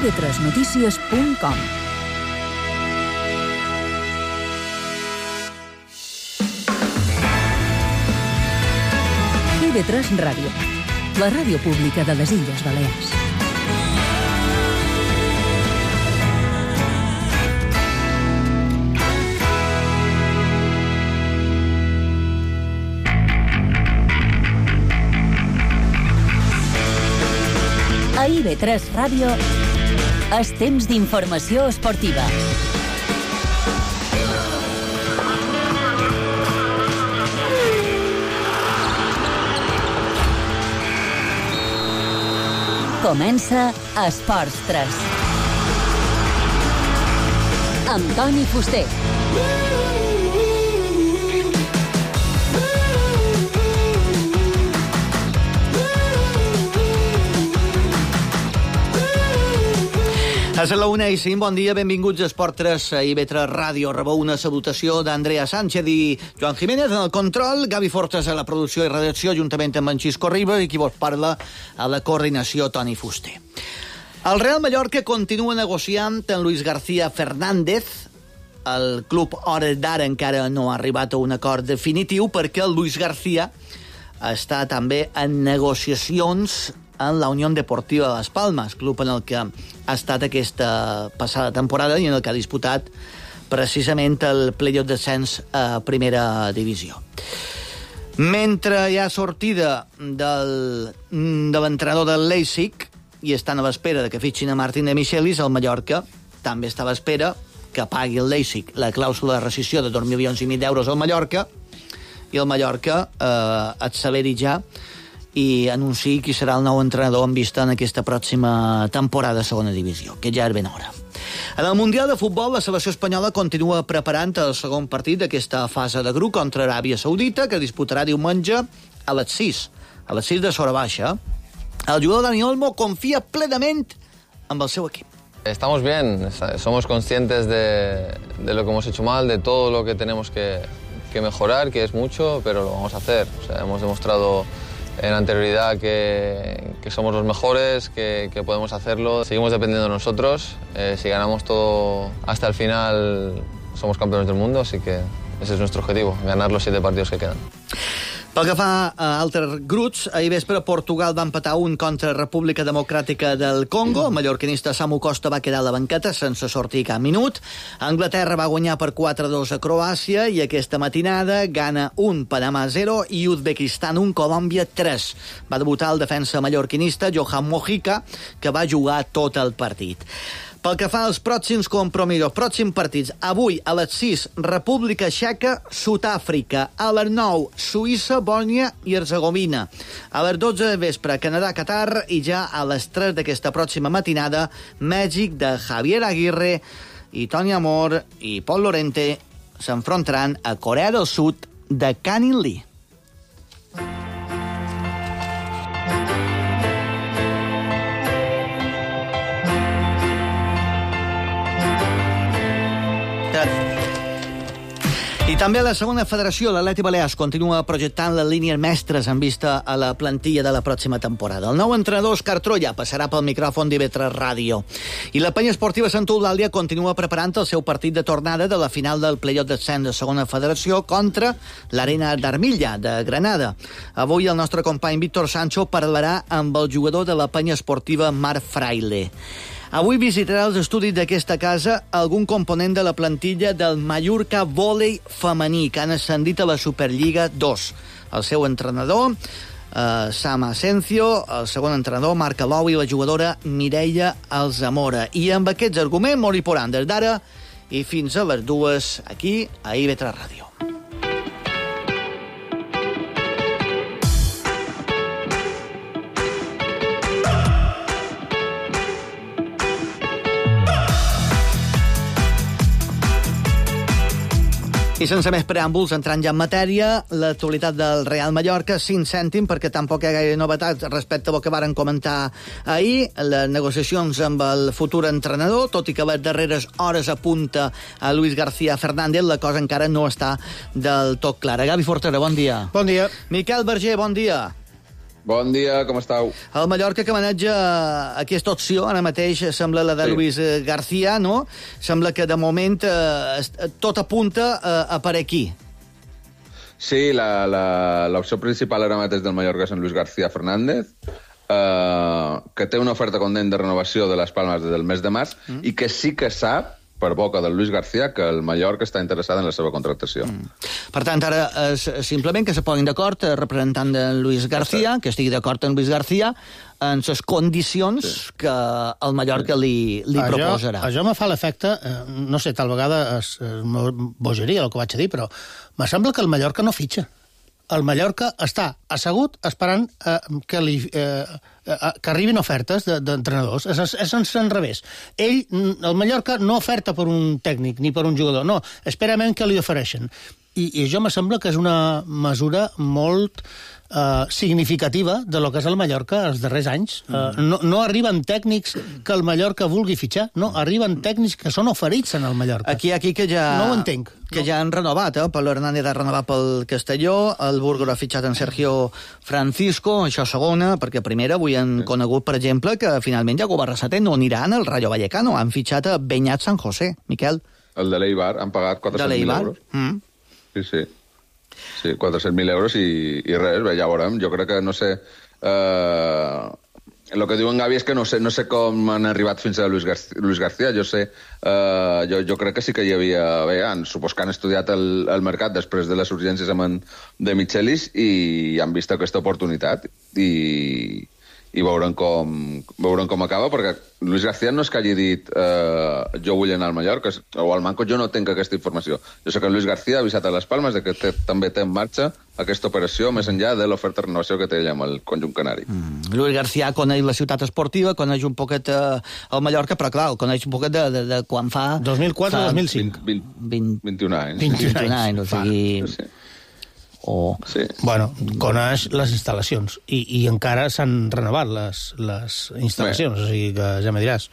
ib3notícies.com. IB3 Ràdio, la ràdio pública de les Illes Balears. A IB3 Ràdio és temps d'informació esportiva. Comença Esports 3. Amb Toni Fuster. És a la 1:05, bon dia, benvinguts a Esport 3, a IB3 Ràdio. Rebeu una salutació d'Andrea Sánchez i Joan Jiménez en el control, Gavi Fortes a la producció i redacció, juntament amb en Xisco Riba, i qui vos parla a la coordinació, Toni Fuster. El Real Mallorca continua negociant amb Luis García Fernández. El club, a hores d'ara, encara no ha arribat a un acord definitiu perquè el Luis García està també en negociacions en la Unió Deportiva de Las Palmas, club en el que ha estat aquesta passada temporada i en el que ha disputat precisament el playoff d'ascens a primera divisió. Mentre hi ha sortida de l'entrenador del Leipzig i estan a l'espera de que fitxin a Martín de Michelis, el Mallorca també està a l'espera que pagui el Leipzig la clàusula de rescissió de 2,5 milions d'euros al Mallorca i el Mallorca asseveri ja i anunciï qui serà el nou entrenador en vista en aquesta pròxima temporada a segona divisió, que ja és ben hora. En el Mundial de Futbol, la selecció espanyola continua preparant el segon partit d'aquesta fase de grup contra Aràbia Saudita, que disputarà diumenge a les 6 de Sora Baixa. El jugador Dani Olmo confia plenament amb el seu equip. Estamos bien, somos conscientes de lo que hemos hecho mal, de todo lo que tenemos que mejorar, que es mucho, pero lo vamos a hacer. O sea, hemos demostrado en anterioridad que somos los mejores, que podemos hacerlo. Seguimos dependiendo de nosotros. Si ganamos todo hasta el final, somos campeones del mundo, así que ese es nuestro objetivo, ganar los 7 partidos que quedan. Pel que fa a altres grups, ahir vespre Portugal va empatar 1 contra República Democràtica del Congo. El mallorquinista Samu Costa va quedar a la banqueta sense sortir cap minut. Anglaterra va guanyar per 4-2 a Croàcia i aquesta matinada gana 1 Panamà 0 i Uzbekistan 1 Colòmbia 3. Va debutar el defensa mallorquinista Johan Mojica, que va jugar tot el partit. Pel que fa als pròxims compromisos, pròxims partits, avui a les 6, República Txeca, Sud-àfrica, a les 9, Suïssa, Bòsnia i Herzegovina, a les 12 de vespre, Canadà, Qatar, i ja a les 3 d'aquesta pròxima matinada, Mèxic de Javier Aguirre i Toni Amor i Pol Lorente s'enfrontaran a Corea del Sud de Canin Lee. I també a la segona federació, l'Atleti Balears continua projectant les línies mestres en vista a la plantilla de la pròxima temporada. El nou entrenador, Òscar Troya, passarà pel micròfon d'IB3 Ràdio. I la penya esportiva Sant Eulàlia continua preparant el seu partit de tornada de la final del playoff d'ascens de segona federació contra l'Arena d'Armilla, de Granada. Avui el nostre company Víctor Sancho parlarà amb el jugador de la penya esportiva Marc Fraile. Avui visitarà els estudis d'aquesta casa algun component de la plantilla del Mallorca Vòlei femení, que han ascendit a la Superliga 2. El seu entrenador, Sam Asencio, el segon entrenador, Marc Alou, i la jugadora Mireia Alzamora. I amb aquests arguments, Mori Poran, des d'ara i fins a les 2, aquí a IB3 Ràdio. I sense més preàmbuls, entrant ja en matèria, l'actualitat del Real Mallorca, 5 cèntims, perquè tampoc hi ha gaire novetats respecte al que varen comentar ahir, les negociacions amb el futur entrenador, tot i que a les darreres hores apunta a Luis García Fernández, la cosa encara no està del tot clara. Gavi Fortera, bon dia. Bon dia. Miquel Berger, bon dia. Bon dia, com estàu? El Mallorca que maneja aquesta opció, ara mateix sembla la de Luis García, no? Sembla que de moment tot apunta a per aquí. Sí, l'opció principal ara mateix del Mallorca és en Luis García Fernández, que té una oferta condent de renovació de les Palmes des del mes de març i que sí que sap, per boca del Luis García, que el Mallorca està interessat en la seva contractació. Per tant, ara és simplement que se posin d'acord representant de Luis García, que estigui d'acord amb Luis García, en les condicions que el Mallorca li proposarà. Això me fa l'efecte, no sé, tal vegada és bogeria el que vaig a dir, però me sembla que el Mallorca no fitxa. El Mallorca està assegut esperant que arribin ofertes d'entrenadors. És en revés. El Mallorca no oferta per un tècnic ni per un jugador, no, espera que li ofereixen. I això me sembla que és una mesura molt significativa de lo que és el Mallorca els darrers anys. No arriben tècnics que el Mallorca vulgui fitxar, no, arriben tècnics que són oferits en el Mallorca. Aquí que ja... No ho entenc. Que ja han renovat, Pablo Hernández ha renovat pel Castelló, el Burgos ha fitxat en Sergio Francisco, això segona, perquè primera avui han conegut, per exemple, que finalment Jacob Arrasate no anirà en el Rayo Vallecano, han fitxat a Beñat San José, Miquel. El de l'Eibar, han pagat 400.000 euros. Sí. Sí, 400.000 euros i res, bé, ja veurem. Jo crec que, no sé... El que diuen Gavi és que no sé com han arribat fins a Luis García. Jo crec que sí que hi havia... Bé, supos que han estudiat el mercat després de les urgències de Michelis i han vist aquesta oportunitat i veurem com acaba, perquè Luis García no és que hagi dit jo vull anar al Mallorca, o al Manco, jo no tinc aquesta informació. Jo sé que Luis García ha avisat a les Palmes de que també té en marxa aquesta operació més enllà de l'oferta de renovació que té ella amb el conjunt canari. Luis García coneix la ciutat esportiva, coneix un poquet el Mallorca, però clar, coneix un poquet de quan fa... 2004-2005. 21 anys. 21 anys, o sigui... Sí. Sí. Bueno, coneix les instal·lacions i encara s'han renovat les instal·lacions, o sigui que ja me diràs.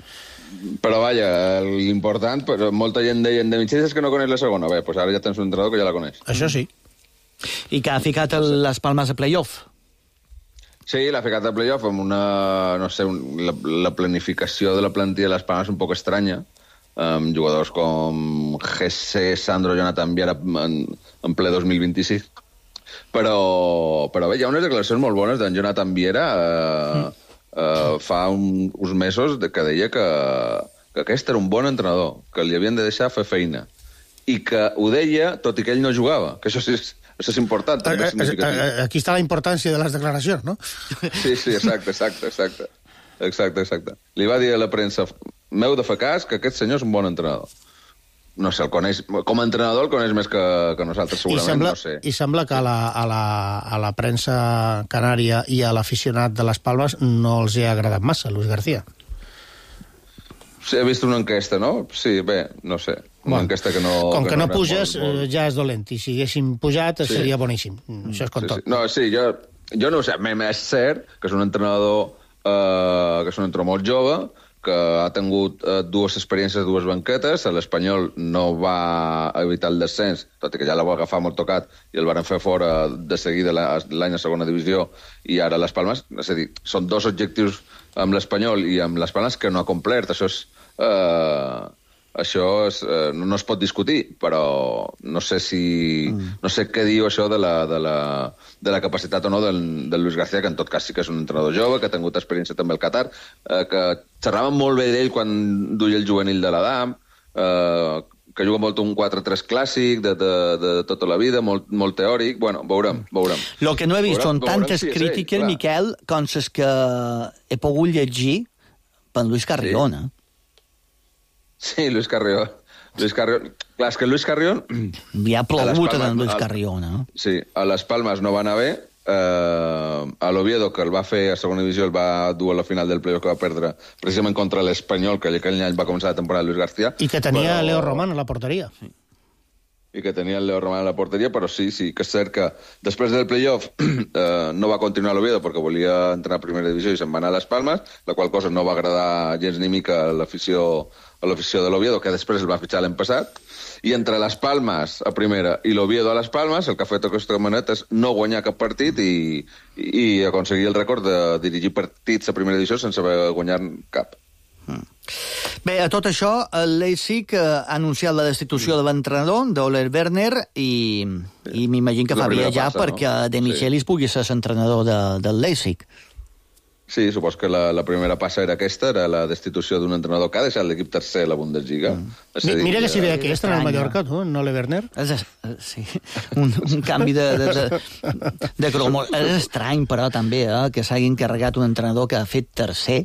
Però vaja, l'important, molta gent deien de Mitjans que no coneix la segona. Bé, doncs ara ja tens un entrenador que ja la coneix. Això sí. I que ha ficat les Palmes a playoff. Sí, l'ha ficat a playoff amb una, no sé, la planificació de la plantilla de les Palmes un poc estranya, amb jugadors com Jesse, Sandro, Jonathan Viera en ple 2026. Però bé, hi ha unes declaracions molt bones d'en Jonathan Viera fa uns mesos que deia que aquest era un bon entrenador, que li havien de deixar fer feina. I que ho deia tot i que ell no jugava, que això és important. També és significatiu. Aquí està la importància de les declaracions, no? Sí, exacte. Li va dir a la premsa, m'heu de fer cas que aquest senyor és un bon entrenador. No sé, el coneix, com a entrenador el coneix més que nosaltres, segurament, no sé. I sembla que a la premsa canària i a l'aficionat de les Palmes no els hi ha agradat massa, Luis García. Sí, he vist una enquesta, no? Sí, bé, no sé. Una enquesta que no... Com que no puges, ja és dolent. I si haguéssim pujat, seria boníssim. Això és com tot. No, sí, jo no ho sé. És cert que és un entrenador molt jove, que ha tingut dues experiències, dues banquetes. L'Espanyol no va evitar el descens, tot i que ja la va agafar molt tocat i el van fer fora de seguida l'any a segona divisió, i ara les Palmes, és a dir, són dos objectius amb l'Espanyol i amb les Palmes que no ha complert. No es pot discutir, però no sé què diu això de la capacitat o no del Luis García, que en tot cas sí que és un entrenador jove, que ha tingut experiència també al Qatar, que xerraven molt bé d'ell quan duia el juvenil de l'Adam, que juga molt un 4-3 clàssic de tota la vida, molt teòric. Bueno, veurem. El que no he vist són tantes crítiques, Miquel, com les que he pogut llegir per Luis Carrión, Sí, Luis Carrión. Clar, és que Luis Carrión... Li ha plogut a Luis Carrión, Sí, a les Palmes no va anar bé. A l'Oviedo, que el va fer a segona divisió, el va dur a la final del playoff, que va perdre precisament contra l'Espanyol, que aquell any va començar la temporada de Luis García. I que tenia Leo Román a la porteria. i que tenia el Leo Román a la porteria, però sí que és cert que després del playoff no va continuar a l'Oviedo perquè volia entrar a primera divisió i se'n va anar a les Palmes, la qual cosa no va agradar gens ni mica a l'afició de l'Oviedo, que després el va fitxar l'any passat, i entre les Palmes a primera i l'Oviedo a les Palmes el que ha fet aquesta maneta és no guanyar cap partit i aconseguir el rècord de dirigir partits a primera divisió sense haver guanyat cap. Bé, a tot això, el Leipzig ha anunciat la destitució de l'entrenador, d'Ole Werner, i m'imagino que fa viatjar perquè De Michelis pugui ser l'entrenador del Leipzig. Sí, supos que la primera passa era aquesta, era la destitució d'un entrenador que ha deixat l'equip tercer a la Bundesliga. Mira que si ve aquesta en el Mallorca, tu, en Ole Werner. Sí, un canvi de cromos. És estrany, però, també, que s'hagi encarregat un entrenador que ha fet tercer,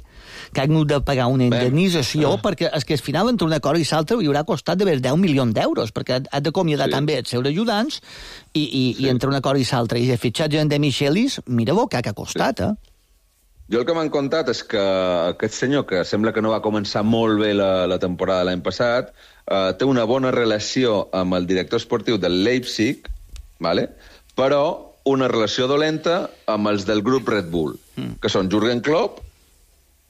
que ha hagut de pagar una indemnització, perquè és que al final, entre una cosa i l'altra, hi haurà costat de 10 milions d'euros, perquè ha d'acomiadar també els seus ajudants, i entre una cosa i l'altra, i el fitxatge de Michelis, mira-ho que ha costat, Jo el que m'han contat és que aquest senyor, que sembla que no va començar molt bé la temporada l'any passat, té una bona relació amb el director esportiu del Leipzig, ¿vale? Però una relació dolenta amb els del grup Red Bull, que són Jürgen Klopp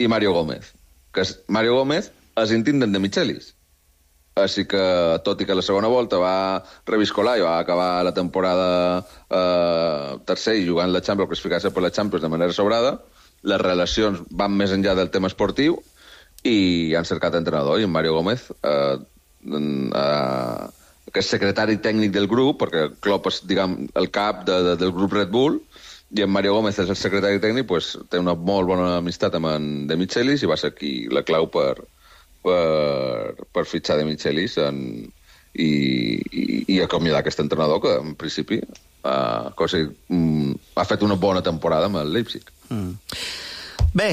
i Mario Gómez. Mario Gómez és íntim de Michelis. Així que, tot i que la segona volta va reviscolar i va acabar la temporada tercer i jugant la Champions, classificar-se per la Champions de manera sobrada, les relacions van més enllà del tema esportiu i han cercat entrenador, i en Mario Gómez, que és secretari tècnic del grup, perquè Klopp és, diguem, el cap del grup Red Bull, i en Mario Gómez és el secretari tècnic, pues, té una molt bona amistat amb en De Michelis i va ser aquí la clau per fitxar De Michelis i acomiadar aquest entrenador que, en principi, ha fet una bona temporada amb el Leipzig. Bé,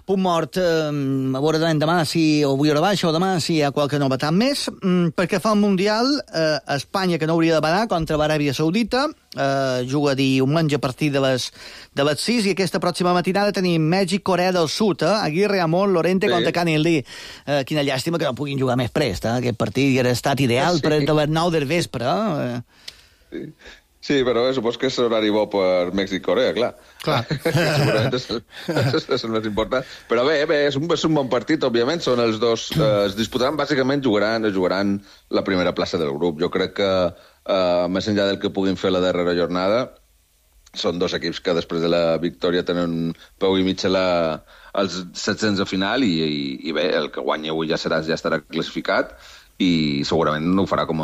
punt mort, a veure demà si, o avui a la baixa o demà si hi ha qualque novetat més, perquè fa el Mundial, Espanya, que no hauria de badar, contra l'Aràbia Saudita, juga diumenge a partir de les 6, i aquesta pròxima matinada tenim Mèxic-Corea del Sud, Aguirre, Amon, Lorente contra Canelli. Quina llàstima que no puguin jugar més prest, aquest partit hauria estat ideal per les 9 del vespre. Sí, però supos que és horari bo per Mèxic-Corea, clar. Segurament és el més important. Però bé, és un bon partit, òbviament. Són els dos... Es disputaran, bàsicament, jugaran la primera plaça del grup. Jo crec que, més enllà del que puguin fer la darrera jornada, són dos equips que després de la victòria tenen peu i mig als 700 de final i bé, el que guanyi avui ja estarà classificat i segurament ho farà com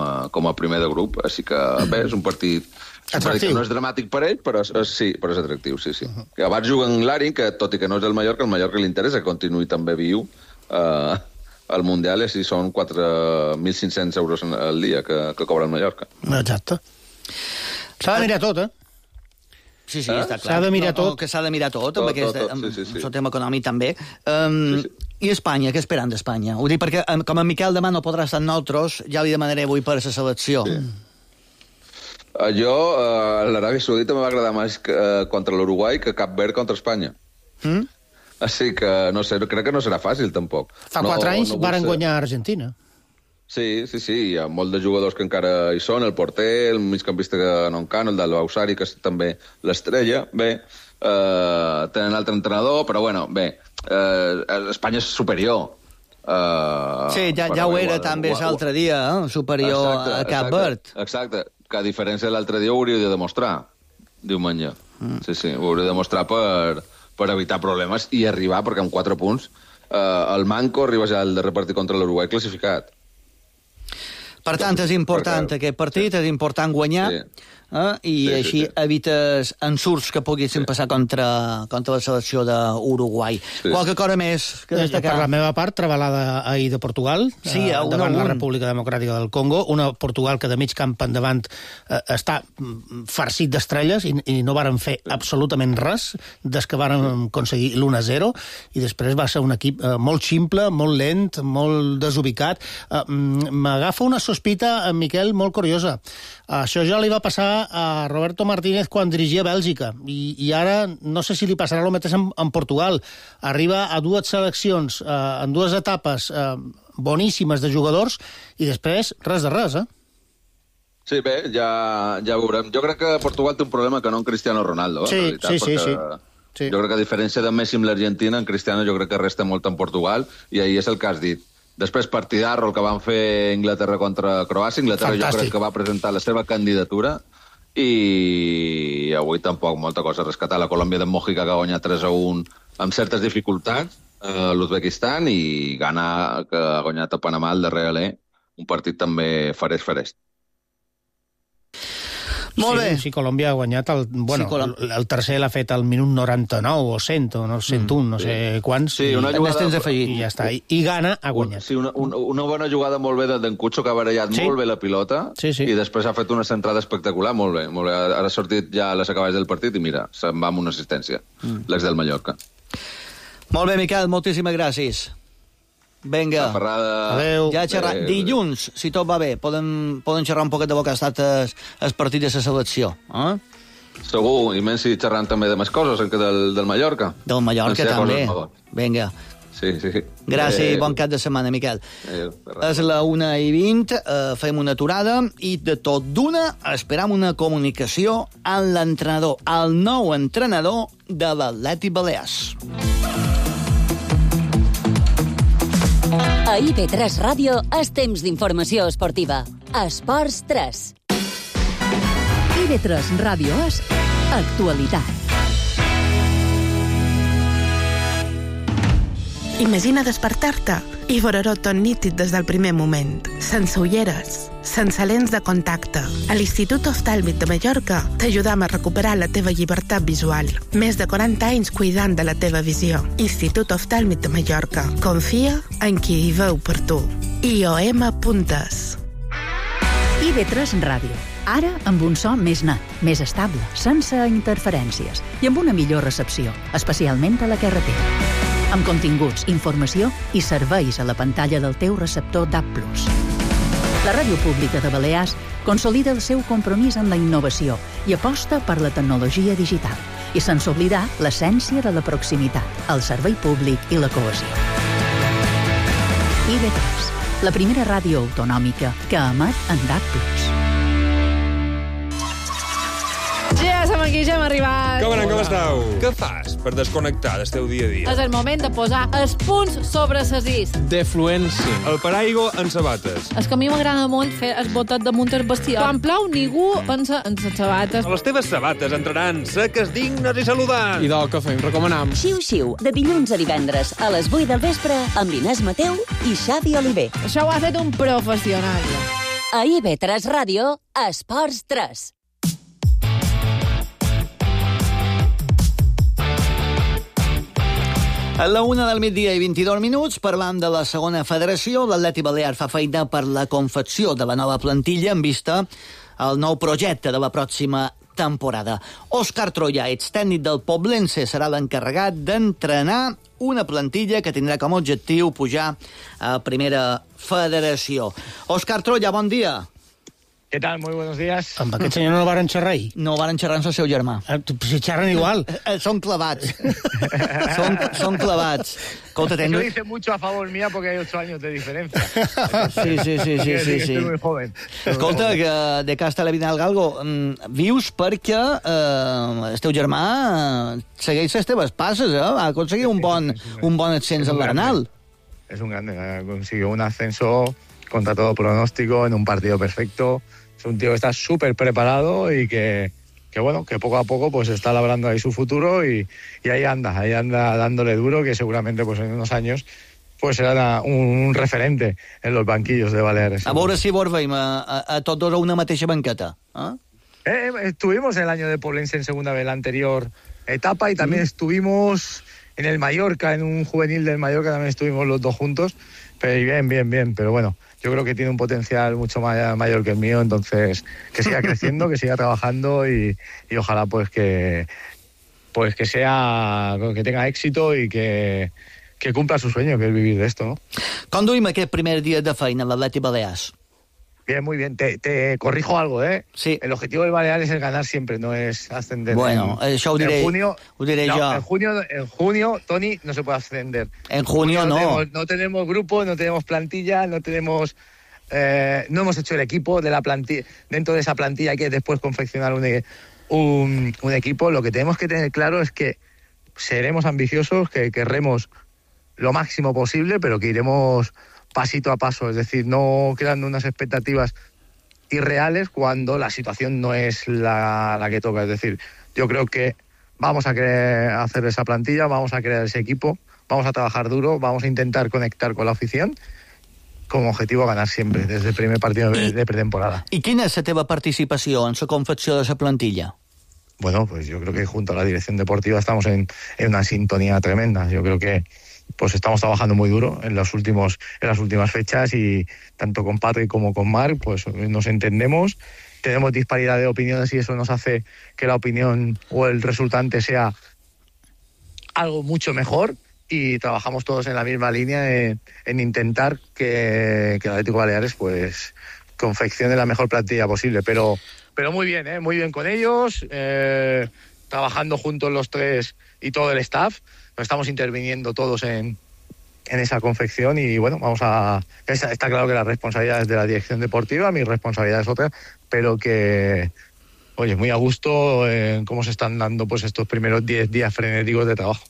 a primer de grup. Així que bé, és un partit... Atractiu. No és dramàtic per ell, però és atractiu, sí. Abans juguen l'Arin, que tot i que no és el Mallorca li interessa que continuï també viu al Mundial, i així són 4.500 euros al dia que cobra el Mallorca. Exacte. S'ha de mirar tot, Sí, està clar. S'ha de mirar tot. Que s'ha de mirar tot, amb el tema econòmic també. I Espanya, què esperen d'Espanya? Ho dic perquè, com en Miquel demà no podrà estar amb nosaltres, ja li demanaré avui per a la selecció. Jo, l'Aràbia Saudita m'va agradar més contra l'Uruguai que Cap Verd contra Espanya. Així que, no sé, crec que no serà fàcil, tampoc. Fa 4 anys varen guanyar a Argentina. Sí, hi ha molts de jugadors que encara hi són, el porter, el migcampista que no encano, el del Bausari, que és també l'estrella. Bé, tenen altre entrenador, però bueno, bé, Espanya és superior. Sí, ja ho era també l'altre dia, superior a Cap Verd. Exacte, que a diferència de l'altre dia ho hauria de demostrar, diumenge. Sí, ho hauria de demostrar per evitar problemes i arribar, perquè amb 4 punts el Manco arriba ja al darrer partit contra l'Uruguai classificat. Per tant, és important aquest partit, és important guanyar, i així evites ensurts que poguessin passar contra la selecció d'Uruguai. Qualque cosa més que destacar? Per la meva part, trebalada ahir de Portugal, davant la República Democràtica del Congo, una Portugal que de mig camp endavant està farcit d'estrelles i no varen fer absolutament res des que varen aconseguir l'1-0, i després va ser un equip molt ximple, molt lent, molt desubicat. M'agafa una sospita, Miquel, molt curiosa. Això ja li va passar a Roberto Martínez quan dirigia Bèlgica, i ara no sé si li passarà el mateix en Portugal. Arriba a 2 seleccions, en 2 etapes boníssimes de jugadors, i després res de res, Sí, bé, ja veurem. Jo crec que Portugal té un problema que no en Cristiano Ronaldo, en realitat, sí. Jo crec que a diferència de Messi amb l'Argentina, en Cristiano jo crec que resta molt en Portugal, i ahir és el que has dit. Després, partidarro, el que van fer Inglaterra contra Croàcia. Inglaterra jo crec que va presentar la seva candidatura, i avui tampoc molta cosa a rescatar. La Colòmbia de Mojica, que ha guanyat 3-1 amb certes dificultats, l'Uzbekistan, i Ghana, que ha guanyat a Panamà el darrer alè, un partit també farès. Molt bé. Sí, Colòmbia ha guanyat el tercer l'ha fet al minut 99 o 100 o 101, no sé quants. Sí, una jugada... I ja està. I Ghana ha guanyat. Sí, una bona jugada molt bé d'en Cucho, que ha barallat molt bé la pilota, i després ha fet una centrada espectacular, molt bé. Ara ha sortit ja a les acaballes del partit i mira, se'n va amb una assistència, l'ex del Mallorca. Molt bé, Miquel, moltíssimes gràcies. Vinga. Adéu. Ja xerrar. Dilluns, si tot va bé, poden xerrar un poquet de bo que ha estat el partit de la selecció. Segur, i menys si xerrant també de més coses que del Mallorca. Del Mallorca també. Vinga. Sí. Gràcies i bon cap de setmana, Miquel. És la 1:20, fem una aturada i de tot d'una esperam una comunicació amb l'entrenador, el nou entrenador de l'Atlètic Balears. A IB3 Ràdio és temps d'informació esportiva. Esports 3. IB3 Ràdio és actualitat. Imagina despertar-te i veure-ho tot nítid des del primer moment, sense ulleres, sense lents de contacte. A l'Institut Oftàlmic de Mallorca t'ajudam a recuperar la teva llibertat visual. Més de 40 anys cuidant de la teva visió. Institut Oftàlmic de Mallorca. Confia en qui hi veu per tu. IOM.es. IB3 Ràdio. Ara amb un so més net, més estable, sense interferències i amb una millor recepció, especialment a la carretera. Amb continguts, informació i serveis a la pantalla del teu receptor DAB+. La Ràdio Pública de Balears consolida el seu compromís amb la innovació i aposta per la tecnologia digital, i sense oblidar l'essència de la proximitat, el servei públic i la cohesió. IB3, la primera ràdio autonòmica que emet en DAB+. Ja som aquí, ja hem arribat. Com esteu? Què fas per desconnectar del teu dia a dia? És el moment de posar els punts sobre ses is. Defluència. El paraigua en sabates. És que a mi m'agrada molt fer el botet damunt el vestido. Quan plou, ningú pensa en les sabates. Les teves sabates entraran seques, dignes i saludants. I del que fem, recomanam. Xiu-xiu, de dilluns a divendres, a les 8 del vespre, amb Inés Mateu i Xavi Oliver. Això ho ha fet un professional. A IB3 Ràdio, Esports 3. A la 1 del migdia i 22 minuts, parlant de la segona federació, l'Atlètic Balear fa feina per la confecció de la nova plantilla en vista al nou projecte de la pròxima temporada. Òscar Troia, extècnic del Poblense, serà l'encarregat d'entrenar una plantilla que tindrà com a objectiu pujar a primera federació. Òscar Troia, bon dia. ¿Qué tal? Muy buenos días. Amb aquest senyor no el varen xerrar ahir? No el varen xerrar amb el seu germà. Si xerren igual. Són clavats. Són clavats. Escolta, eso dice mucho a favor mía porque hay 8 años de diferencia. Sí. Estoy muy joven. Escolta, que de cas televident al Galgo, vius perquè el teu germà segueix les teves passes, ha aconseguit un bon ascens al Bernal. Es un grande, consiguió un ascenso contra todo pronóstico, en un partido perfecto. Es un tío que está súper preparado y que poco a poco pues está labrando ahí su futuro y ahí anda dándole duro, que seguramente pues en unos años pues será un referente en los banquillos de Baleares. A veure si vos veiem a tots dos a una mateixa banqueta. Estuvimos el año de Poblense en segunda vez, la anterior etapa, y también estuvimos en el Mallorca, en un juvenil del Mallorca, también estuvimos los dos juntos. Pero bien, pero bueno, yo creo que tiene un potencial mucho mayor que el mío, entonces que siga creciendo, que siga trabajando y ojalá pues que tenga éxito y que cumpla su sueño, que es vivir de esto, ¿no? Com duim aquest primer dia de feina a l'Atlètic Balears? Bien, muy bien. Te corrijo algo, ¿eh? Sí. El objetivo del Baleares es ganar siempre, no es ascender. Bueno, això ho diré jo. En junio, Toni, no se puede ascender. En junio no. No tenemos grupo, no tenemos plantilla, no tenemos no hemos hecho el equipo de la plantilla. Dentro de esa plantilla hay que después confeccionar un equipo. Lo que tenemos que tener claro es que seremos ambiciosos, que querremos lo máximo posible, pero que iremos pasito a paso, es decir, no creando unas expectativas irreales cuando la situación no es la que toca. Es decir, yo creo que vamos a querer hacer esa plantilla, vamos a crear ese equipo, vamos a trabajar duro, vamos a intentar conectar con la afición con objetivo ganar siempre, desde el primer partido de pretemporada. I quina és la teva participació en la confecció de la plantilla? Bueno, pues yo creo que junto a la dirección deportiva estamos en una sintonía tremenda. Yo creo que pues estamos trabajando muy duro en las últimas fechas, y tanto con Patrick como con Marc pues nos entendemos, tenemos disparidad de opiniones y eso nos hace que la opinión o el resultante sea algo mucho mejor, y trabajamos todos en la misma línea en intentar que el Atlético Baleares pues confeccione la mejor plantilla posible, pero muy bien con ellos, trabajando juntos los tres y todo el staff. Estamos interviniendo todos en esa confección, y bueno, está claro que la responsabilidad es de la dirección deportiva, mi responsabilidad es otra, pero que, oye, muy a gusto en cómo se están dando pues estos primeros 10 días frenéticos de trabajo.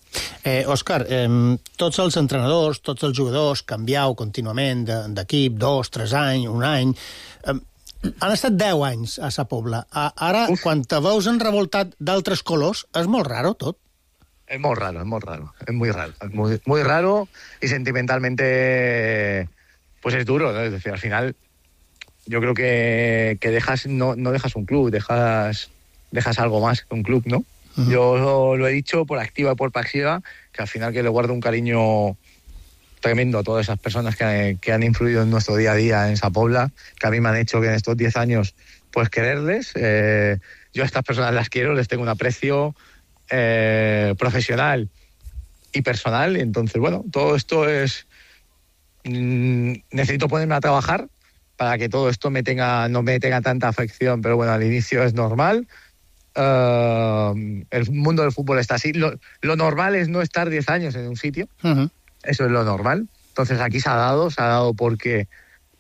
Òscar, tots els entrenadors, tots els jugadors, canviau contínuament d'equip, 2, 3 anys, un any. Han estat 10 anys a Sa Pobla. Ara, quan te veus enrevoltat d'altres colors, és molt raro tot. Es muy raro, es muy raro, y sentimentalmente pues es duro, ¿no? Es decir, al final yo creo que no dejas un club, dejas algo más que un club, ¿no? Uh-huh. Yo lo he dicho por activa y por pasiva, que al final que le guardo un cariño tremendo a todas esas personas que han influido en nuestro día a día en Sa Pobla, que a mí me han hecho que en estos 10 años pues quererles. Yo a estas personas las quiero, les tengo un aprecio profesional y personal, y entonces bueno, todo esto es necesito ponerme a trabajar para que todo esto no me tenga tanta afección, pero bueno, al inicio es normal. El mundo del fútbol está así, lo normal es no estar 10 años en un sitio. Uh-huh. Eso es lo normal. Entonces aquí se ha dado porque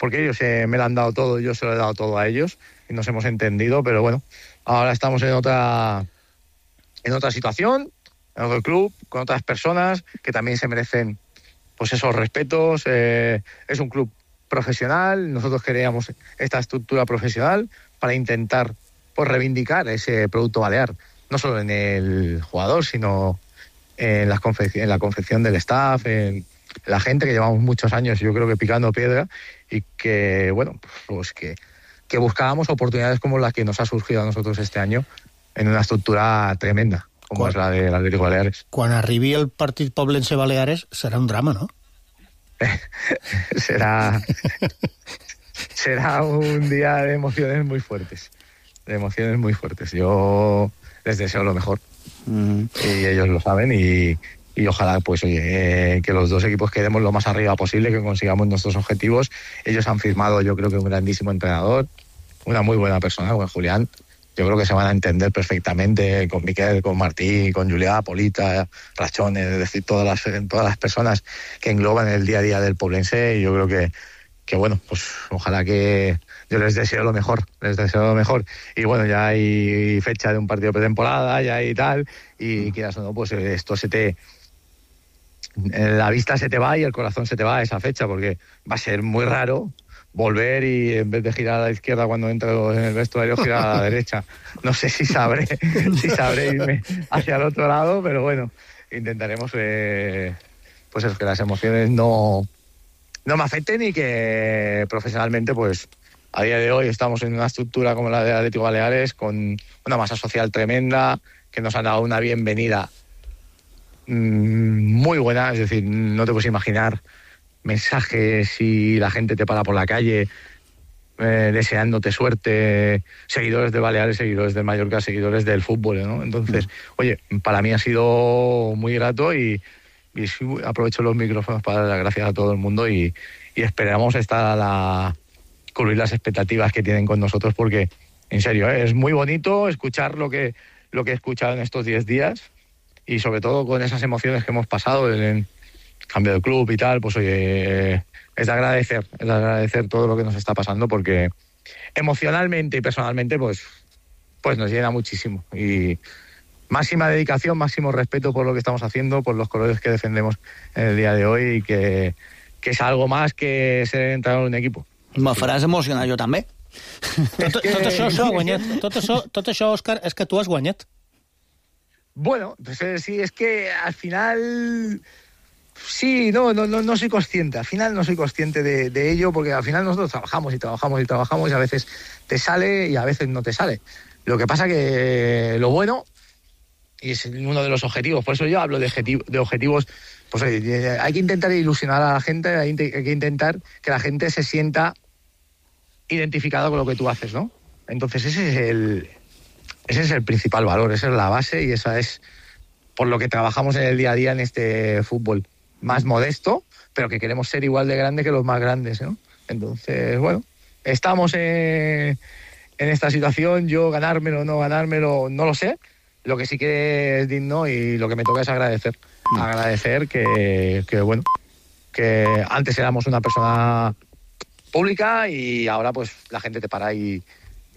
ellos me lo han dado todo, yo se lo he dado todo a ellos y nos hemos entendido, pero bueno, ahora estamos en otra situación, en otro club, con otras personas que también se merecen pues esos respetos. Es un club profesional, nosotros queríamos esta estructura profesional para intentar pues reivindicar ese producto balear, no solo en el jugador, sino en la confección del staff, en la gente que llevamos muchos años, yo creo que picando piedra, y que bueno, pues que buscábamos oportunidades como las que nos ha surgido a nosotros este año en una estructura tremenda, como es la del Atlético Baleares. Quan arribi el partit Poblense-Baleares serà un drama, ¿no? será un día de emociones muy fuertes. Yo les deseo lo mejor. Y ellos lo saben, y ojalá pues oye, que los dos equipos quedemos lo más arriba posible, que consigamos nuestros objetivos. Ellos han firmado, yo creo que un grandísimo entrenador, una muy buena persona, con Julián. Yo creo que se van a entender perfectamente con Miquel, con Martí, con Julià, Polita, Rachones, es decir, todas las personas que engloban el día a día del poblense. Y yo creo que bueno, pues ojalá que yo les deseo lo mejor. Y bueno, ya hay fecha de un partido pretemporada, ya hay tal, y quieras o no, pues esto la vista se te va y el corazón se te va a esa fecha, porque va a ser muy raro volver y en vez de girar a la izquierda cuando entro en el vestuario, girar a la derecha. No sé si sabré irme hacia el otro lado, pero bueno, intentaremos pues es que las emociones no me afecten, y que profesionalmente pues a día de hoy estamos en una estructura como la de Atlético Baleares, con una masa social tremenda, que nos han dado una bienvenida muy buena. Es decir, no te puedes imaginar mensajes y la gente te para por la calle deseándote suerte, seguidores de Baleares, seguidores del Mallorca, seguidores del fútbol, ¿no? Entonces, oye, para mí ha sido muy grato, y aprovecho los micrófonos para dar las gracias a todo el mundo, y esperamos cubrir las expectativas que tienen con nosotros, porque en serio, es muy bonito escuchar lo que he escuchado en estos 10 días, y sobre todo con esas emociones que hemos pasado en cambio de club y tal, pues oye, de agradecer todo lo que nos está pasando, porque emocionalmente y personalmente pues nos llena muchísimo. Y máxima dedicación, máximo respeto por lo que estamos haciendo, por los colores que defendemos en el día de hoy, y que és algo más que ser entrenador d'un equip. Me faràs emocionar jo també. Tot això s'ho ha guanyat. Tot això, Òscar, és que tu has guanyat. Bueno, pues sí, es que al final... Sí, no soy consciente. Al final no soy consciente de ello, porque al final nosotros trabajamos y a veces te sale y a veces no te sale. Lo que pasa que lo bueno, y es uno de los objetivos, por eso yo hablo de objetivos, pues hay que intentar ilusionar a la gente, hay que intentar que la gente se sienta identificada con lo que tú haces, ¿no? Entonces ese es el principal valor, esa es la base, y esa es por lo que trabajamos en el día a día en este fútbol más modesto, pero que queremos ser igual de grande que los más grandes, ¿no? Entonces, bueno, estamos en esta situación. Yo ganármelo o no ganármelo no lo sé. Lo que sí que es digno y lo que me toca es agradecer. Agradecer que bueno, que antes éramos una persona pública y ahora pues la gente te para y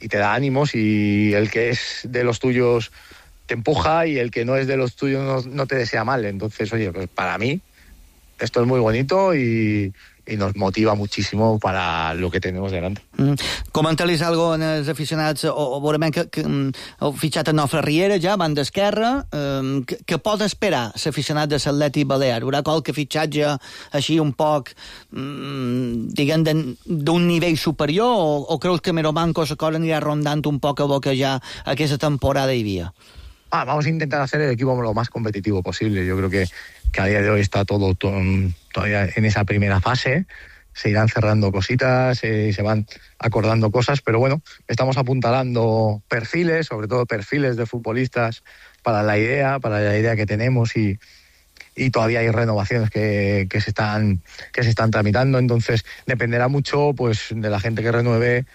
te da ánimos, y el que es de los tuyos te empuja y el que no es de los tuyos no te desea mal. Entonces, oye, pues para mí esto es muy bonito y nos motiva muchísimo para lo que tenemos delante. Comenta-lis algo en els aficionats, o veurem que heu fitxat a Nofre Riera ja, banda esquerra. Què pot esperar l'aficionat de l'Atlètic Balear? Haurà qualque fitxatge així un poc, diguem, d'un nivell superior, o creus que Meromanco la cosa anirà rondant un poc a lo que ja aquesta temporada hi havia? Vamos a intentar hacer el equipo lo más competitivo posible. Yo creo que a día de hoy está todo todavía en esa primera fase. Se irán cerrando cositas, se van acordando cosas, pero bueno, estamos apuntalando perfiles, sobre todo perfiles de futbolistas para la idea que tenemos, y todavía hay renovaciones que se están tramitando. Entonces dependerá mucho pues de la gente que renueve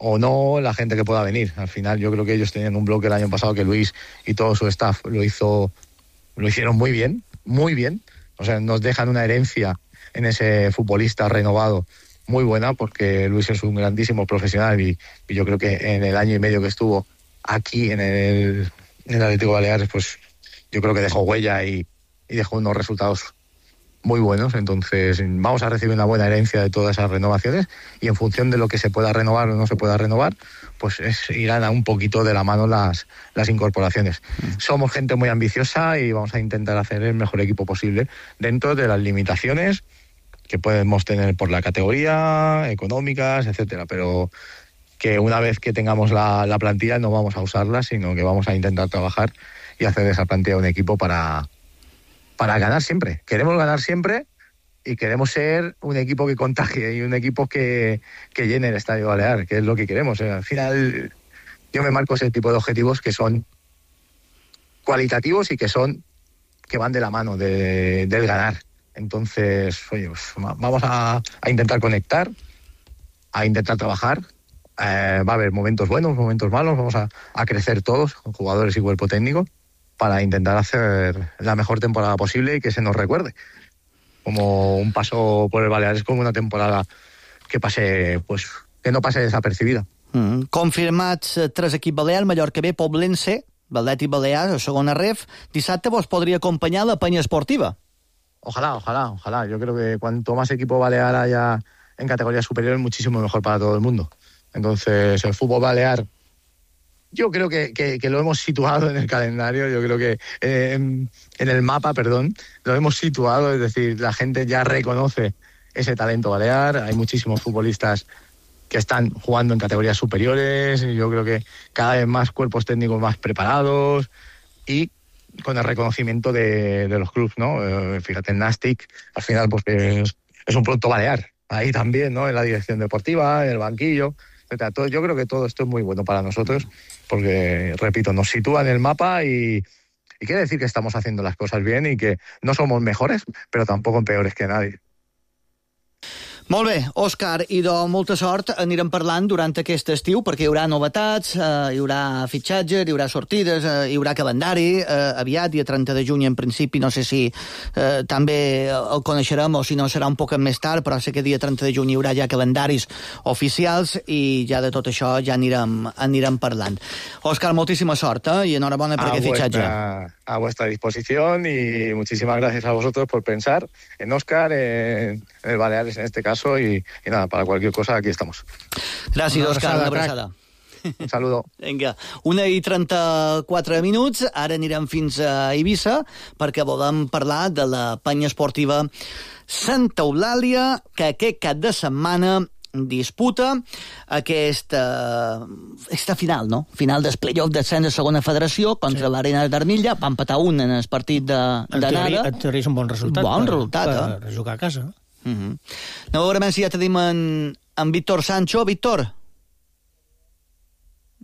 o no, la gente que pueda venir. Al final yo creo que ellos tenían un bloque el año pasado que Luis y todo su staff lo hicieron muy bien. O sea, nos dejan una herencia en ese futbolista renovado muy buena, porque Luis es un grandísimo profesional y yo creo que en el año y medio que estuvo aquí en el Atlético Baleares, pues yo creo que dejó huella y dejó unos resultados muy buenos. Entonces vamos a recibir una buena herencia de todas esas renovaciones, y en función de lo que se pueda renovar o no se pueda renovar, pues irán a un poquito de la mano las incorporaciones. Somos gente muy ambiciosa y vamos a intentar hacer el mejor equipo posible dentro de las limitaciones que podemos tener por la categoría, económicas, etcétera, pero que una vez que tengamos la plantilla no vamos a usarla, sino que vamos a intentar trabajar y hacer de esa plantilla un equipo para ganar siempre. Queremos ganar siempre y queremos ser un equipo que contagie y un equipo que llene el Estadio Balear, que es lo que queremos. Al final yo me marco ese tipo de objetivos que son cualitativos y que van de la mano del ganar. Entonces, oye, pues vamos a intentar conectar, a intentar trabajar. Va a haber momentos buenos, momentos malos. Vamos a crecer todos, con jugadores y cuerpo técnico, para intentar hacer la mejor temporada posible y que se nos recuerde como un paso por el Baleares, como una temporada que no pase desapercibida. Confirmats 3 equips balears: Mallorca B, Poblense, l'Atlètic Balear, a segona ref. Dissabte vos podria acompanyar la penya esportiva. Ojalá. Yo creo que cuanto más equipo balear haya en categorías superiores, muchísimo mejor para todo el mundo. Entonces, el fútbol balear, yo creo que lo hemos situado en el calendario, yo creo que en el mapa, lo hemos situado, es decir, la gente ya reconoce ese talento balear. Hay muchísimos futbolistas que están jugando en categorías superiores, y yo creo que cada vez más cuerpos técnicos más preparados y con el reconocimiento de los clubes, ¿no? Fíjate, en Nastic, al final pues es un producto balear, ahí también, ¿no? En la dirección deportiva, en el banquillo, etc. Yo creo que todo esto es muy bueno para nosotros, porque, repito, nos sitúa en el mapa y quiere decir que estamos haciendo las cosas bien y que no somos mejores, pero tampoco peores que nadie. Molt bé, Òscar, i de molta sort anirem parlant durant aquest estiu, perquè hi haurà novetats, hi haurà fitxatges, hi haurà sortides, hi haurà calendari, aviat, dia 30 de juny en principi, no sé si també el coneixerem o si no serà un poc més tard, però sé que dia 30 de juny hi haurà ja calendaris oficials i ja de tot això ja anirem parlant. Òscar, moltíssima sort, i enhorabona per aquest fitxatge. A vuestra disposición y muchísimas gracias a vosotros por pensar en Óscar, en el Baleares en este caso. Y nada, para cualquier cosa aquí estamos. Gràcies, Òscar, una abraçada. Un saludo. Vinga, 1:34 minuts, ara anirem fins a Eivissa perquè volem parlar de la penya esportiva Santa Eulàlia, que aquest cap de setmana disputa aquesta final, no? Final del play-off d'ascens de segona federació contra l'Arena d'Armilla. Va empatar un en el partit d'anada. En teoria és un bon resultat. Bon resultat, per jugar a casa, no? No, a veure si ja tenim en Víctor Sancho. Víctor?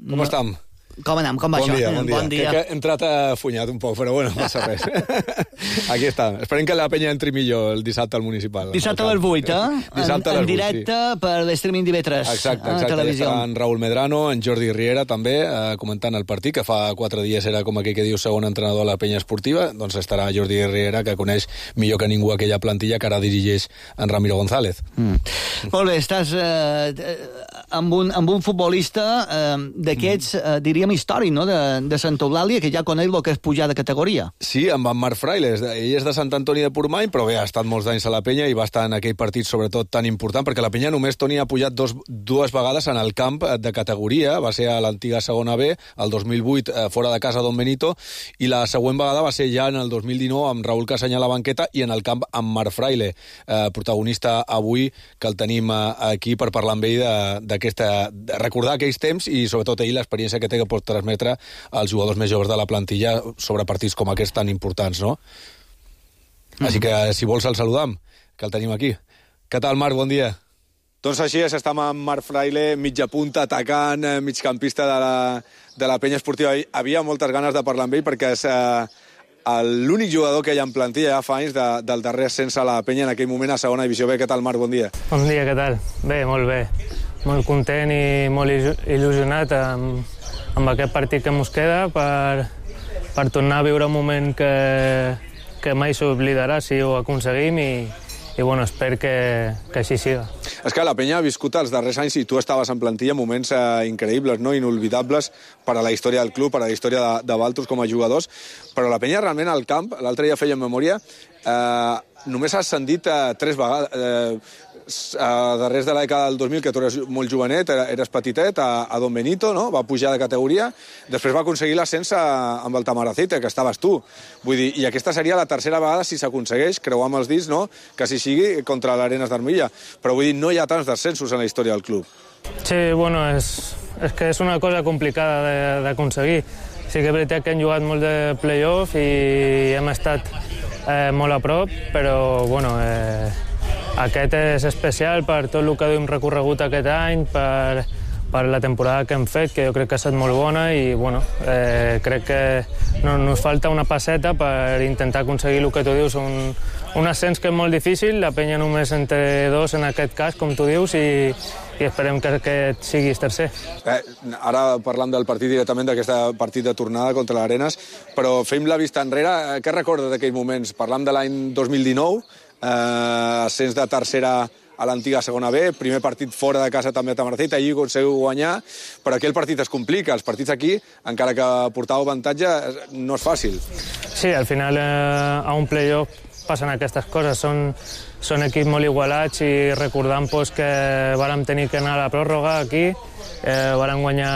Com estem? Com anem? Com va bon això? Bon dia. Crec que he entrat afunyat un poc, però bueno, no passa res. Aquí està. Esperem que la penya entri millor el dissabte al municipal. Dissabte a les 8, Dissabte a les 8, en directe per l'streaming d'IV3. Exacte. Estarà en Raúl Medrano, en Jordi Riera també, comentant el partit, que fa 4 dies era com aquell que diu segon entrenador a la penya esportiva, doncs estarà Jordi Riera, que coneix millor que ningú aquella plantilla que ara dirigeix en Ramiro González. Molt bé, estàs amb un futbolista d'aquests, diríem, històric, no?, de Santa Eulàlia, que ja coneix el que és pujar de categoria. Sí, amb en Marc Fraile. Ell és de Sant Antoni de Portmany, però bé, ha estat molts anys a la penya i va estar en aquell partit, sobretot, tan important, perquè la penya només, Toni, ha pujat dues vegades en el camp de categoria. Va ser a l'antiga segona B, el 2008, fora de casa Don Benito, i la següent vegada va ser ja en el 2019 amb Raúl Casany a la banqueta i en el camp amb Marc Fraile, protagonista avui, que el tenim aquí per parlar amb ell de recordar aquells temps i, sobretot, ell l'experiència que té que pot transmetre als jugadors més joves de la plantilla sobre partits com aquests tan importants, no? Així que, si vols, el saludam, que el tenim aquí. Què tal, Marc? Bon dia. Doncs així és, estem amb Marc Fraile, mitja punta, atacant, migcampista de la penya esportiva. Havia moltes ganes de parlar amb ell perquè és l'únic jugador que hi ha en plantilla ja fa anys del darrer ascens a la penya en aquell moment a segona divisió B. Què tal, Marc? Bon dia. Bon dia, què tal? Bé, molt bé. Molt content i molt il·lusionat amb aquest partit que ens queda per tornar a viure un moment que mai s'oblidarà si ho aconseguim i bueno, espero que així siga. És que la penya ha viscut els darrers anys, i tu estaves en plantilla, moments increïbles, no? Inolvidables per a la història del club, per a la història de Valtros com a jugadors, però la penya realment al camp, l'altre dia feia memòria, només ha ascendit 3 vegades, darrers de la dècada del 2000, que tu eres molt jovenet, eres petitet, a Don Benito, no? Va pujar de categoria, després va aconseguir l'ascens amb el Tamaracete, que estaves tu. Vull dir, i aquesta seria la tercera vegada, si s'aconsegueix, creuar amb els dits, no?, que si sigui contra l'Arenas d'Armilla. Però vull dir, no hi ha tants descensos en la història del club. Sí, bueno, és que és una cosa complicada d'aconseguir. Sí que és veritat que hem jugat molt de play-off i hem estat molt a prop, però, bueno, aquest és especial per tot el que hem recorregut aquest any, per la temporada que hem fet, que jo crec que ha estat molt bona i, bueno, crec que nos falta una passeta per intentar aconseguir el que tu dius, un ascens que és molt difícil, la penya només entre 2 en aquest cas, com tu dius, i esperem que aquest siguis tercer. Ara parlant del partit directament, d'aquest partit de tornada contra l'Arenas, però fem la vista enrere. Què recordes d'aquells moments? Parlam de l'any 2019, ascens de tercera a l'antiga segona B, primer partit fora de casa també a Tamaracete, allí aconseguiu guanyar, però aquell partit es complica. Els partits aquí, encara que portàveu avantatge, no és fàcil. Sí, al final a un play-off passen aquestes coses, són equips molt igualats i recordant que vàrem tenir que anar a la pròrroga aquí, vàrem guanyar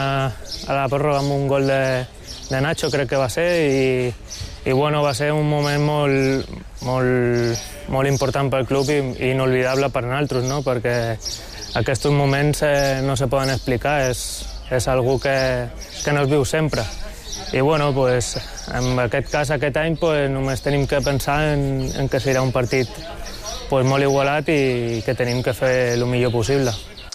a la pròrroga amb un gol de Nacho, crec que va ser, i bueno, va ser un moment molt important pel club i inolvidable per nosaltres, no? Perquè aquests moments no se poden explicar, és algo que no es viu sempre. I bueno, pues, en aquest cas, aquest any, pues, només tenim que pensar en que serà un partit pues, molt igualat i que tenim que fer el millor possible.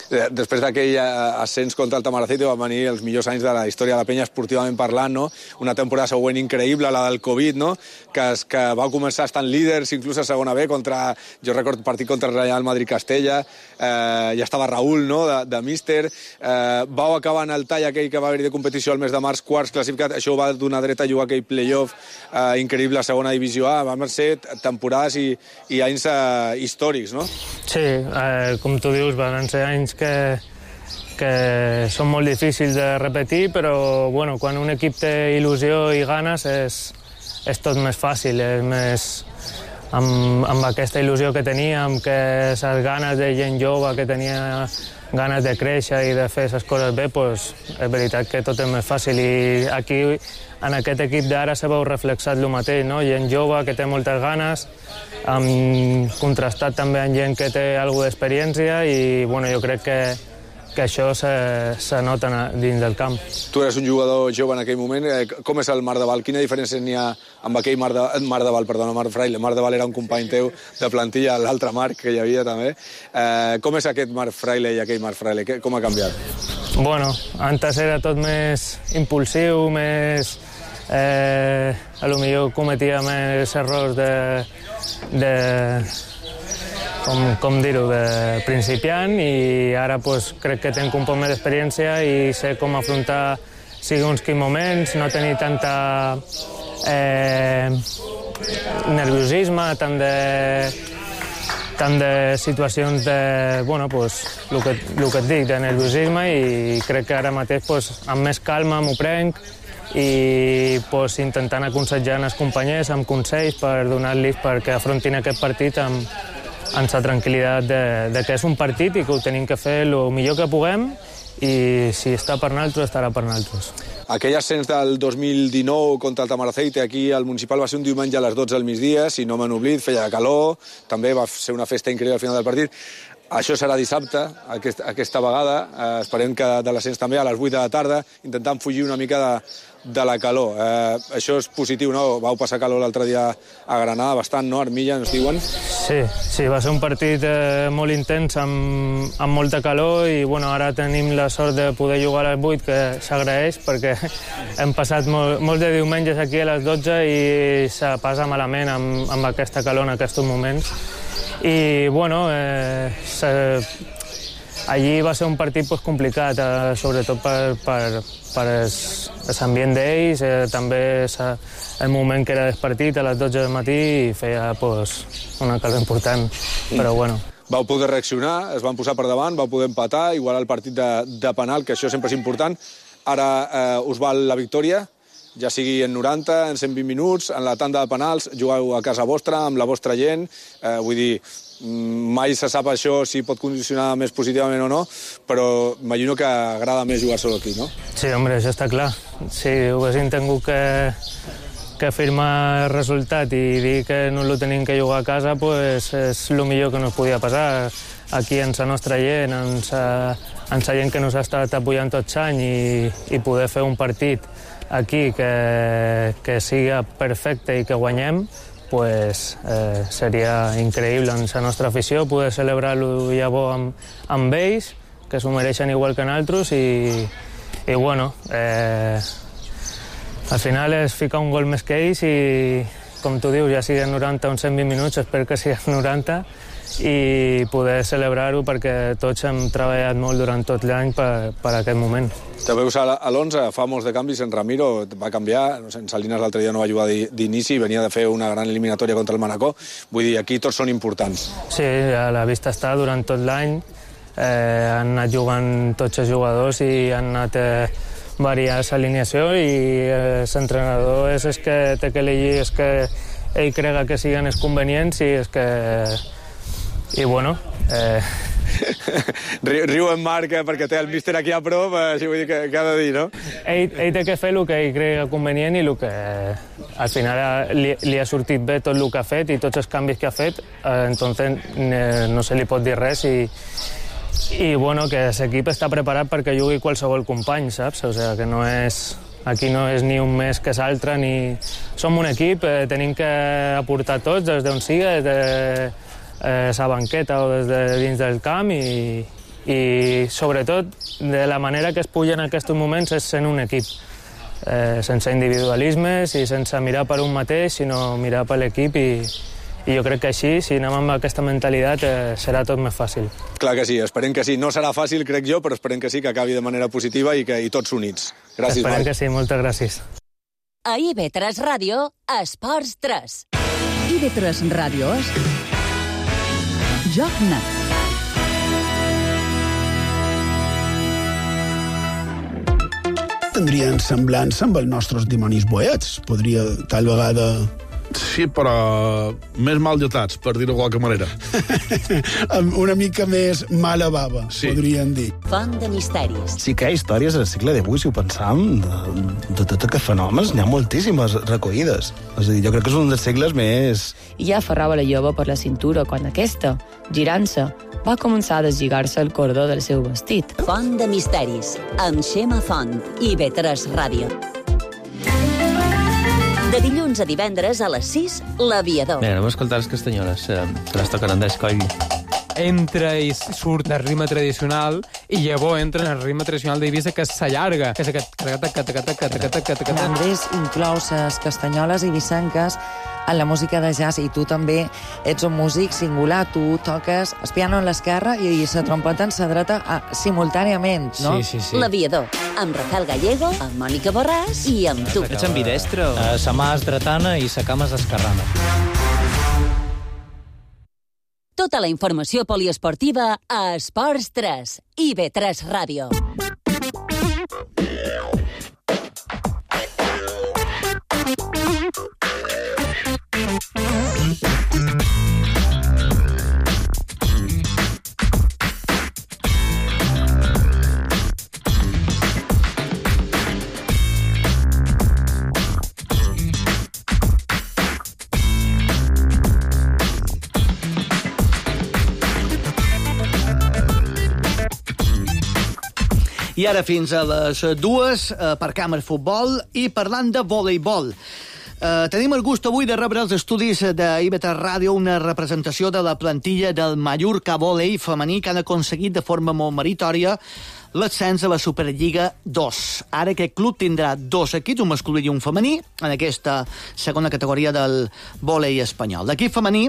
després d'aquell ascens contra el Tamaracete van venir els millors anys de la història de la penya esportivament parlant, no? Una temporada següent increïble, la del Covid, no? Que va començar estant líders, inclús a segona B, jo recordo partit contra el Real Madrid-Castella, ja estava Raúl, no?, de míster, vau acabar en el tall aquell que va haver de competició al mes de març, quarts classificat, això va donar dret a jugar aquell playoff increïble a segona divisió A, van ser temporades i anys històrics, no? Sí, com tu dius, van ser anys que són molt difícils de repetir, però bueno, quan un equip té il·lusió i ganes és tot més fàcil, és més amb aquesta il·lusió que tenia, amb les ganes de gent jove que tenia ganes de créixer i de fer les coses bé, doncs és veritat que tot és més fàcil. I aquí, en aquest equip d'ara, se veu reflexat el mateix, no? Gent jove que té moltes ganes, contrastat també amb gent que té alguna d'experiència i bueno, jo crec que això se nota dins del camp. Tu eres un jugador jove en aquell moment. Com és el Marc de Val? Quina diferència n'hi ha amb aquell Marc Fraile? Marc de Val era un company teu de plantilla, l'altre Marc que hi havia també. Com és aquest Marc Fraile i aquell Marc Fraile? Com ha canviat? Bueno, antes era tot més impulsiu, més... a lo millor cometia més errors com dir-ho, de principiant, i ara pues, crec que tenc un poc més d'experiència i sé com afrontar segons quins moments, no tenir tanta nerviosisme, tant de situacions de, bueno, pues, el que et dic, de nerviosisme, i crec que ara mateix pues, amb més calma m'ho prenc i pues, intentant aconsellar els companys amb consells per donar-los perquè afrontin aquest partit amb la tranquil·litat de que és un partit i que ho tenim que fer el millor que puguem i si està per nosaltres, estarà per nosaltres. Aquell ascens del 2019 contra el Tamaracete aquí al Municipal va ser un diumenge a les 12 del migdia, si no m'han oblidat, feia calor, també va ser una festa increïble al final del partit. Això serà dissabte, aquesta vegada, esperem que de l'ascens també a les 8 de la tarda, intentant fugir una mica de la calor. Això és positiu, no? Vau passar calor l'altre dia a Granada, bastant, no? Armilla, ens diuen? Sí, va ser un partit molt intens, amb molta calor, i bueno, ara tenim la sort de poder jugar a les 8, que s'agraeix, perquè hem passat molts de diumenges aquí a les 12 i se passa malament amb aquesta calor en aquests moments. I bueno, allí va ser un partit complicat, sobretot per l'ambient d'ells, també el moment que era despartit a les 12 del matí i feia una calor important, però bueno. Vau poder reaccionar, es van posar per davant, vau poder empatar, igualar el partit de penal, que això sempre és important. Ara us val la victòria, ja sigui en 90, en 120 minuts, en la tanda de penals, jugueu a casa vostra, amb la vostra gent, vull dir, mai se sap això si pot condicionar més positivament o no, però imagino que agrada més jugar solo aquí, no? Sí, home, això està clar. Si haguéssim tingut que firmar el resultat i dir que no el tenim que jugar a casa, pues és el millor que nos podia passar. Aquí en la nostra gent, en la gent que nos ha estat apoyant tots anys i poder fer un partit aquí que siga perfecte i que guanyem, pues seria increïble en la nostra afició poder celebrar-lo llavors amb ells, que s'ho mereixen igual que nosaltres, i bueno, al final és ficar un gol més que ells i, com tu dius, ja siguin 90 o 120 minuts, espero que siguin 90, i poder celebrar-ho perquè tots hem treballat molt durant tot l'any per aquest moment. Te veus a l'11, fa molts de canvis, en Ramiro va canviar, no sé, en Salinas l'altre dia no va jugar d'inici, venia de fer una gran eliminatòria contra el Manacor, vull dir, aquí tots són importants. Sí, a la vista està durant tot l'any, han anat jugant tots els jugadors i han anat variant l'alineació i l'entrenador és el que té que elegir, és que ell crega que siguin els convenients i és que... I bueno... Riu en Marc perquè té el míster aquí a prop, així vull dir que ha de dir, no? Ell té que fer el que ell crega convenient i el que al final li ha sortit bé tot el que ha fet i tots els canvis que ha fet, entonces no se li pot dir res i bueno, que l'equip està preparat perquè jugui qualsevol company, saps? O sigui, que no és... Aquí no és ni un més que l'altre, ni... Som un equip, tenim que aportar tots, des d'on siga, des de la banqueta o des de dins del camp i i sobretot de la manera que es puja en aquests moments és sent un equip, sense individualismes i sense mirar per un mateix, sinó mirar per l'equip i jo crec que així, si anem amb aquesta mentalitat, serà tot més fàcil. Clar que sí, esperem que sí. No serà fàcil, crec jo, però esperem que sí, que acabi de manera positiva i tots units. Gràcies, Esperem Marc. que sí, moltes gràcies. A IB3 Ràdio, Esports 3. IB3 Ràdio és Joc Net. Tindrien semblança amb els nostres dimonis boets. Podria, tal vegada... Sí, però més mal dotats, per dir-ho de qualque manera. Una mica més mala bava, sí. Podríem dir. Font de misteris. Sí que hi ha històries al segle XVIII, si ho pensam, de tots aquests fenòmens, n'hi ha moltíssimes recollides. És a dir, jo crec que és un dels segles més... I ja aferrava la jove per la cintura quan aquesta, girant-se, va començar a deslligar-se el cordó del seu vestit. Font de misteris, amb Xema Font, IB3 Ràdio. De dilluns a divendres a les 6, L'Aviador. Bé, anem a escoltar les castanyoles, se les toquen Andrés Coll. Entra i surt del ritme tradicional i llavors entra en el ritme tradicional d'Eivissa, que s'allarga, que és aquest... Andrés inclou les castanyoles eivissenques en la música de jazz i tu també ets un músic singular, tu toques el piano en l'esquerra i la trompeta en la dreta simultàniament, no? Sí. L'Aviador, amb Rafael Gallego, amb Mònica Borràs i amb tu. Ets ambidestre? Sa mà és dretana i sa cama és esquerrana. Tota la informació poliesportiva a Esports 3, IB3 Ràdio. I ara fins a les 2 per Càmer Futbol i parlant de voleibol. Tenim el gust avui de rebre els estudis d'IB3 Ràdio una representació de la plantilla del Mallorca Volei femení que han aconseguit de forma molt meritòria l'ascens a la Superliga 2. Ara aquest club tindrà 2 equips, un masculí i un femení, en aquesta segona categoria del volei espanyol. L'equip femení,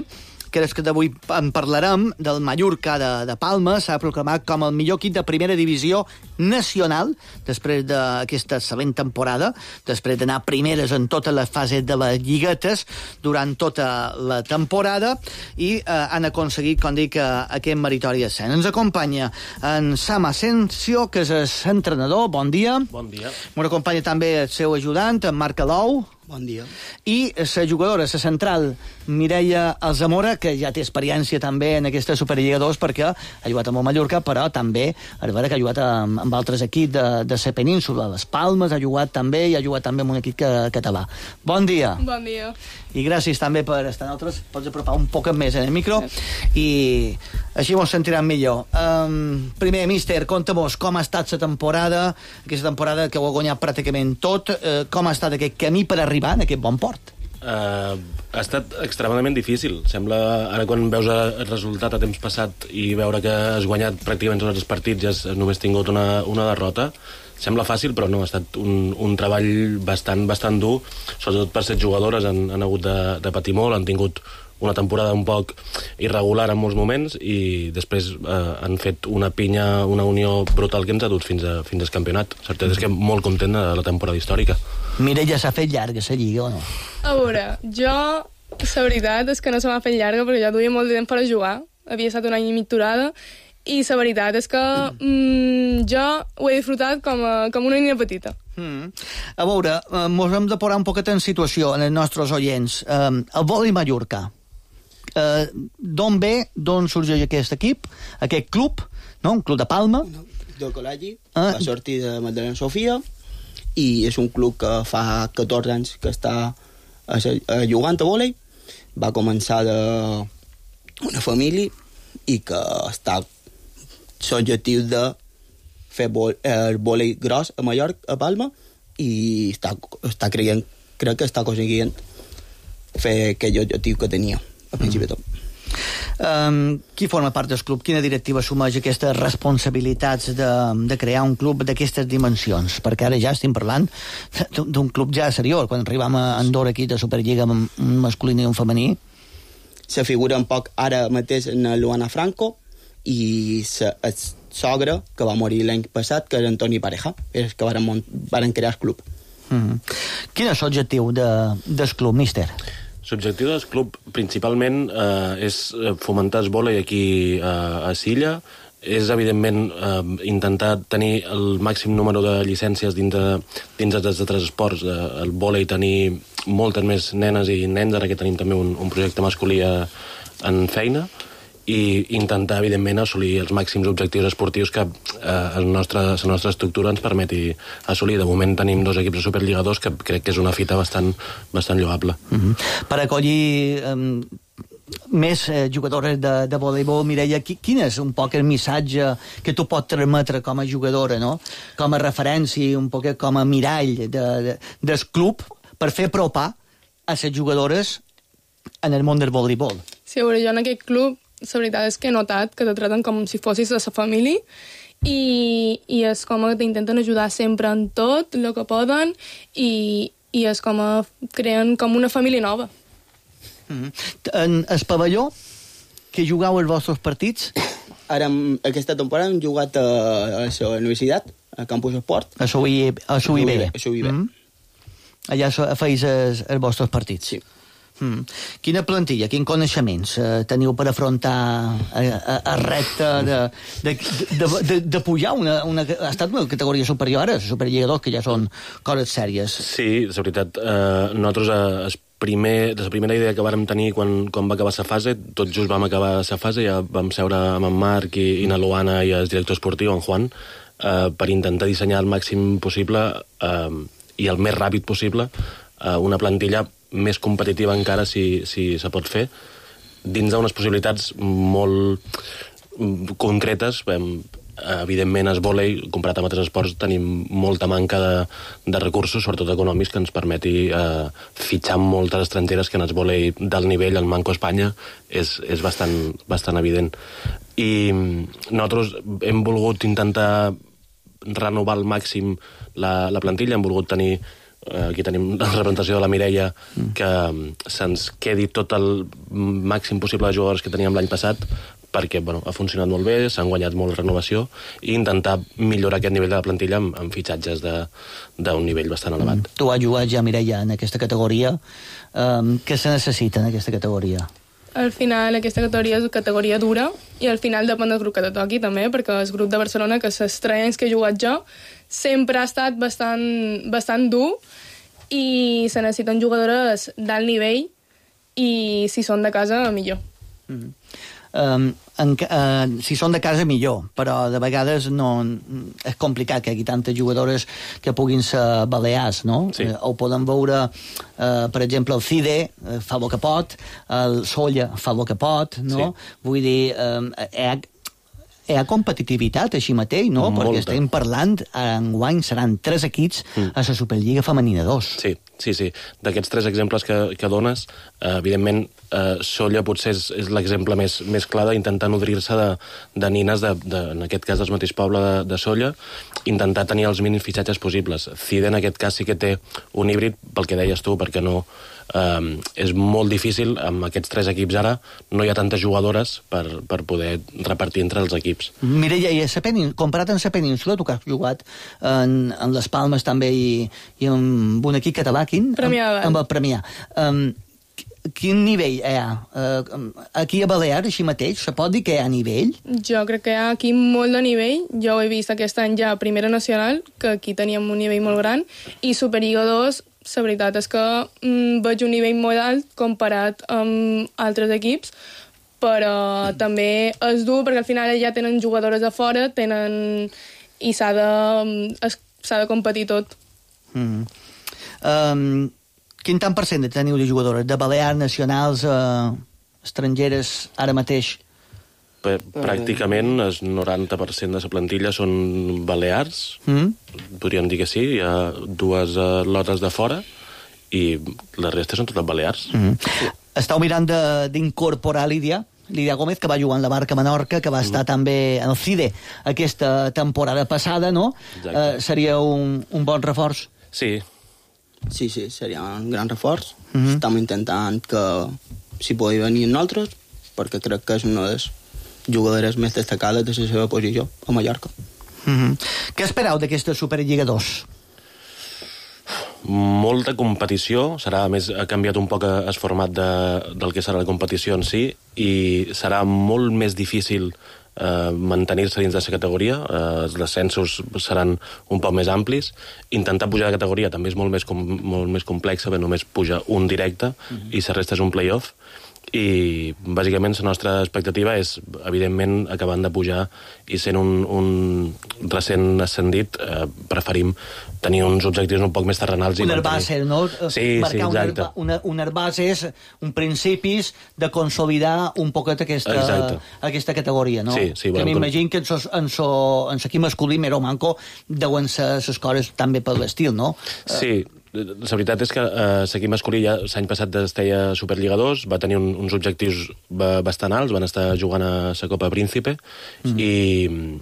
que és que d'avui en parlarem, del Mallorca de Palma, s'ha proclamat com el millor equip de primera divisió nacional, després d'aquesta excel·lent temporada, després d'anar primeres en totes les fases de les lliguetes durant tota la temporada, i han aconseguit, com dic, aquest meritori ascens. Ens acompanya en Sam Asensio, que és entrenador. Bon dia. Bon dia. M'ho acompanya també el seu ajudant, en Marc Alou. Bon dia. I la jugadora, la central, Mireia Alzamora, que ja té experiència també en aquesta Superliga 2 perquè ha jugat amb el Mallorca, però també a veure que ha jugat amb altres equips de la península. Les Palmes ha jugat també i ha jugat també amb un equip català. Bon dia. Bon dia. I gràcies també per estar nosaltres. Pots apropar un poc més en el micro i així ens sentirem millor. Primer, míster, conta-mos com ha estat la temporada, aquesta temporada que ho ha guanyat pràcticament tot, com ha estat aquest camí per arribar en aquest bon port? Ha estat extremadament difícil. Sembla, ara quan veus el resultat a temps passat i veure que has guanyat pràcticament tots els partits i has només tingut una derrota, sembla fàcil, però no, ha estat un treball bastant dur, sobretot per ser jugadores, han hagut de patir molt, han tingut una temporada un poc irregular en molts moments i després han fet una pinya, una unió brutal que ens ha dut fins al campionat. La certesa és que molt content de la temporada històrica. Mireia, s'ha fet llarga la lliga o no? A veure, jo, la veritat és que no se m'ha fet llarga perquè ja duia molt de temps per a jugar. Havia estat un any i mig aturada i la veritat és que jo ho he disfrutat com una nina petita. A veure, mos hem de posar un poquet en situació en els nostres oients. El Volei Mallorca, d'on ve, d'on sorgeix aquest equip, aquest club, no? Un club de Palma? Del col·legi, va sortir de Magdalena Sofia i és un club que fa 14 anys que està jugant a vòlei. Va començar d'una família i que està l'objectiu de fer el vòlei gros a Mallorca, a Palma, i està creient, crec que està aconseguint fer aquell objectiu que tenia al principi de tot. Qui forma part del club? Quina directiva assumeix aquestes responsabilitats de crear un club d'aquestes dimensions? Perquè ara ja estem parlant d'un club ja seriós. Quan arribam a Andorra aquí de Superliga amb un masculí i un femení, se figura un poc ara mateix en Luana Franco i el sogre que va morir l'any passat, que era Antoni Pareja, és que varen crear el club. Quin és l'objectiu del club, míster? L'objectiu del club principalment és fomentar el vòlei aquí a Silla, és evidentment intentar tenir el màxim número de llicències dins dels altres esports, el vòlei tenir moltes més nenes i nens, ara que tenim també un projecte masculí en feina, i intentar, evidentment, assolir els màxims objectius esportius que la nostra estructura ens permeti assolir. De moment tenim 2 equips de Superliga 2, que crec que és una fita bastant lloable. Per acollir més jugadores de voleibol, Mireia, quin és un poc el missatge que tu pots transmetre com a jugadora, no? Com a referència, un poc com a mirall del club, per fer apropar a les jugadores en el món del voleibol? Sí, a veure, jo en aquest club la veritat és que he notat que te traten com si fossis de la família i és com que t'intenten ajudar sempre en tot el que poden i és com creen com una família nova. En el pavelló que jugau els vostres partits? Ara, aquesta temporada hem jugat a la universitat, a Campus Esport. A SUIB. Allà feis els vostres partits? Sí. Quina plantilla, quins coneixements teniu per afrontar el repte de pujar una... Ha estat una categoria superior a Superliga 2, que ja són coses sèries. Sí, és veritat. Nosaltres, la primera idea que vàrem tenir quan va acabar la fase, tot just vam acabar la fase, ja vam seure amb en Marc i na Luana i el director esportiu, en Juan, per intentar dissenyar el màxim possible i el més ràpid possible una plantilla més competitiva encara, si se pot fer, dins d'unes possibilitats molt concretes. Evidentment, el vòlei, comparat amb altres esports, tenim molta manca de recursos, sobretot econòmics, que ens permeti fitxar moltes estrangeres, que en el vòlei d'alt nivell, el Manco Espanya, és bastant evident. I nosaltres hem volgut intentar renovar al màxim la plantilla, hem volgut tenir... Aquí tenim la representació de la Mireia, que se'ns quedi tot el màxim possible de jugadors que teníem l'any passat, perquè ha funcionat molt bé, s'han guanyat molt renovació, i intentar millorar aquest nivell de la plantilla amb fitxatges d'un nivell bastant elevat. Tu has jugat ja, Mireia, en aquesta categoria. Què se necessita en aquesta categoria? Al final, aquesta categoria és categoria dura, i al final depèn del grup que te toqui, també, perquè el grup de Barcelona, que els 3 anys que he jugat jo, sempre ha estat bastant dur, i se necessiten jugadores d'alt nivell, i si són de casa, millor. Si són de casa, millor, però de vegades no és complicat que hi hagi tantes jugadores que puguin ser balears, no? Sí. Ho podem veure, per exemple, el CIDE fa el que pot, el Solla fa el que pot, no? Sí. Vull dir, hi ha competitivitat així mateix, no? Molta. Perquè estem parlant, enguany seran 3 equips a la Superliga Femenina 2. Sí. D'aquests 3 exemples que dones, evidentment, Solla potser és l'exemple més clar d'intentar nodrir-se de nines, en aquest cas del mateix poble de Solla, intentar tenir els mínims fitxatges possibles. CIDE, en aquest cas, sí que té un híbrid, pel que deies tu, perquè no... és molt difícil, amb aquests 3 equips ara, no hi ha tantes jugadores per poder repartir entre els equips. Mireia, comparat amb la península, tu que has jugat en les Palmes també i amb un equip català, amb el Premià, quin nivell hi ha? Aquí a Balears, així mateix, se pot dir que hi ha nivell? Jo crec que hi ha aquí molt de nivell. Jo ho he vist aquest any ja a Primera Nacional, que aquí teníem un nivell molt gran, i Superliga 2, la veritat és que veig un nivell molt alt comparat amb altres equips, però també és dur perquè al final ja tenen jugadores de fora, i s'ha de competir tot. Quin tant per cent teniu de jugadores? De balears, nacionals, estrangeres, ara mateix? Pràcticament el 90% de la plantilla són balears, podríem dir que sí, hi ha 2 lotes de fora i la resta són totes balears. Estàu mirant d'incorporar, Lídia, Lidia Gómez, que va jugar en la Barca Menorca, que va estar també en el CIDE aquesta temporada passada, no? Seria un bon reforç. Sí. Sí, seria un gran reforç. Estem intentant que s'hi pugui venir nosaltres, perquè crec que és una de les jugadores més destacades de la seva posició a Mallorca. Què espereu d'aquesta Superliga 2? Molta competició, ha canviat un poc el format del que serà la competició en si, i serà molt més difícil mantenir-se dins de la categoria. Els descensos seran un poc més amplis. Intentar pujar de categoria també és molt més complex, perquè només puja un directe i la resta és un play-off. I bàsicament la nostra expectativa és, evidentment, acabant de pujar i sent un recent ascendit, preferim tenir uns objectius un poc més terrenals. Un herbàcer, no? Sí, exacte. Un herbàcer és un principis de consolidar un poquet aquesta categoria, no? Sí. Que m'imagino que en l'equip masculí, Mero Manco, deuen ser les coses també per l'estil, no? Sí. La veritat és que l'equip masculí ja l'any passat es deia Superliga 2, va tenir uns objectius bastant alts, van estar jugant a la Copa Príncipe i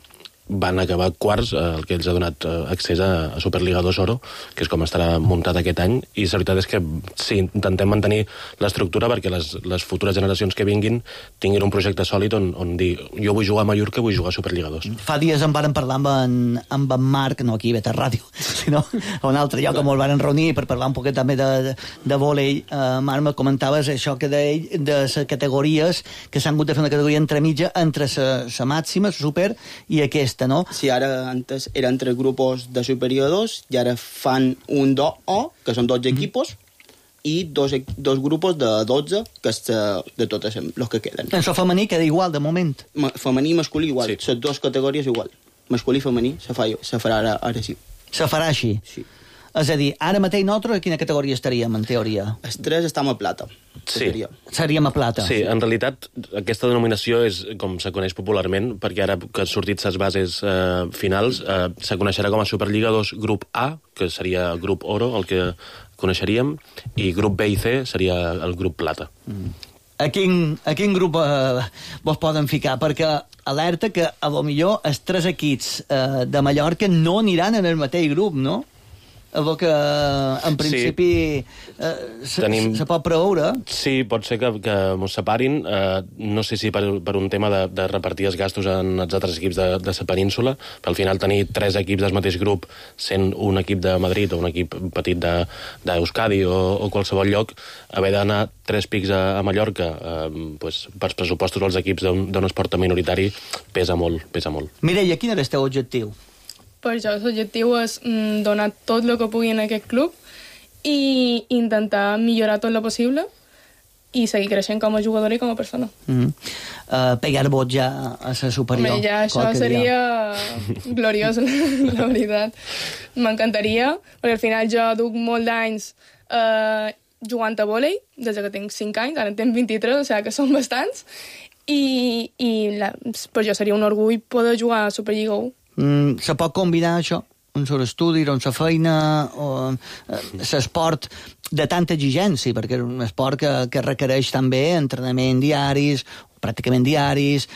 van acabar quarts, el que els ha donat accés a Superliga 2 Oro, que és com estarà muntat aquest any, i la veritat és que sí, intentem mantenir l'estructura perquè les futures generacions que vinguin tinguin un projecte sòlid on dir, jo vull jugar a Mallorca, vull jugar a Superliga 2. Fa dies en vàrem parlar amb en Marc, no aquí a Beta Ràdio, sinó a un altre lloc on el varen reunir per parlar un poquet també de vòlei. Marc, me comentaves això que d'ell, de les categories, que s'han hagut de fer una categoria entremitja entre la màxima, la super, i aquesta, no? Sí, ara antes eren 3 grupos de Superior 2 i ara fan un 2O, que són 12 equipos, i dos grupos de 12, que és de tots els que queden. Això femení queda igual, de moment. Femení i masculí igual, les dues categories igual. Masculí i femení se farà ara sí. Se farà així? Sí. És a dir, ara mateix nosaltres a quina categoria estaríem, en teoria? Els 3 estem a plata. Sí. Seríem a plata. Sí, en realitat aquesta denominació és com se coneix popularment, perquè ara que han sortit les bases finals, se coneixerà com a Superliga 2 grup A, que seria el grup Oro, el que coneixeríem, i grup B i C seria el grup Plata. A quin grup vos poden ficar? Perquè alerta que a lo millor els 3 equips de Mallorca no aniran en el mateix grup, no? Que en principi se pot preveure. Sí, pot ser que ens separin. No sé si per un tema de repartir els gastos en els altres equips de la península, però al final tenir 3 equips del mateix grup, sent un equip de Madrid o un equip petit d'Euskadi o qualsevol lloc, haver d'anar 3 pics a Mallorca, per pressupostos als equips d'un esport minoritari pesa molt. Mireia, quin era el teu objectiu? Per això l'objectiu és donar tot el que pugui en aquest club i intentar millorar tot el possible i seguir creixent com a jugadora i com a persona. Pegar vot ja a la superior. Ja això seria gloriós, la veritat. M'encantaria, perquè al final jo duc molt d'anys jugant a vòlei, des que tinc 5 anys, ara en tinc 23, o sigui que són bastants, i per jo seria un orgull poder jugar a Superliga 1. Se pot combinar això? Un sol estudi, la feina, l'esport de tanta exigència, perquè és un esport que requereix també entrenament diaris, pràcticament diaris,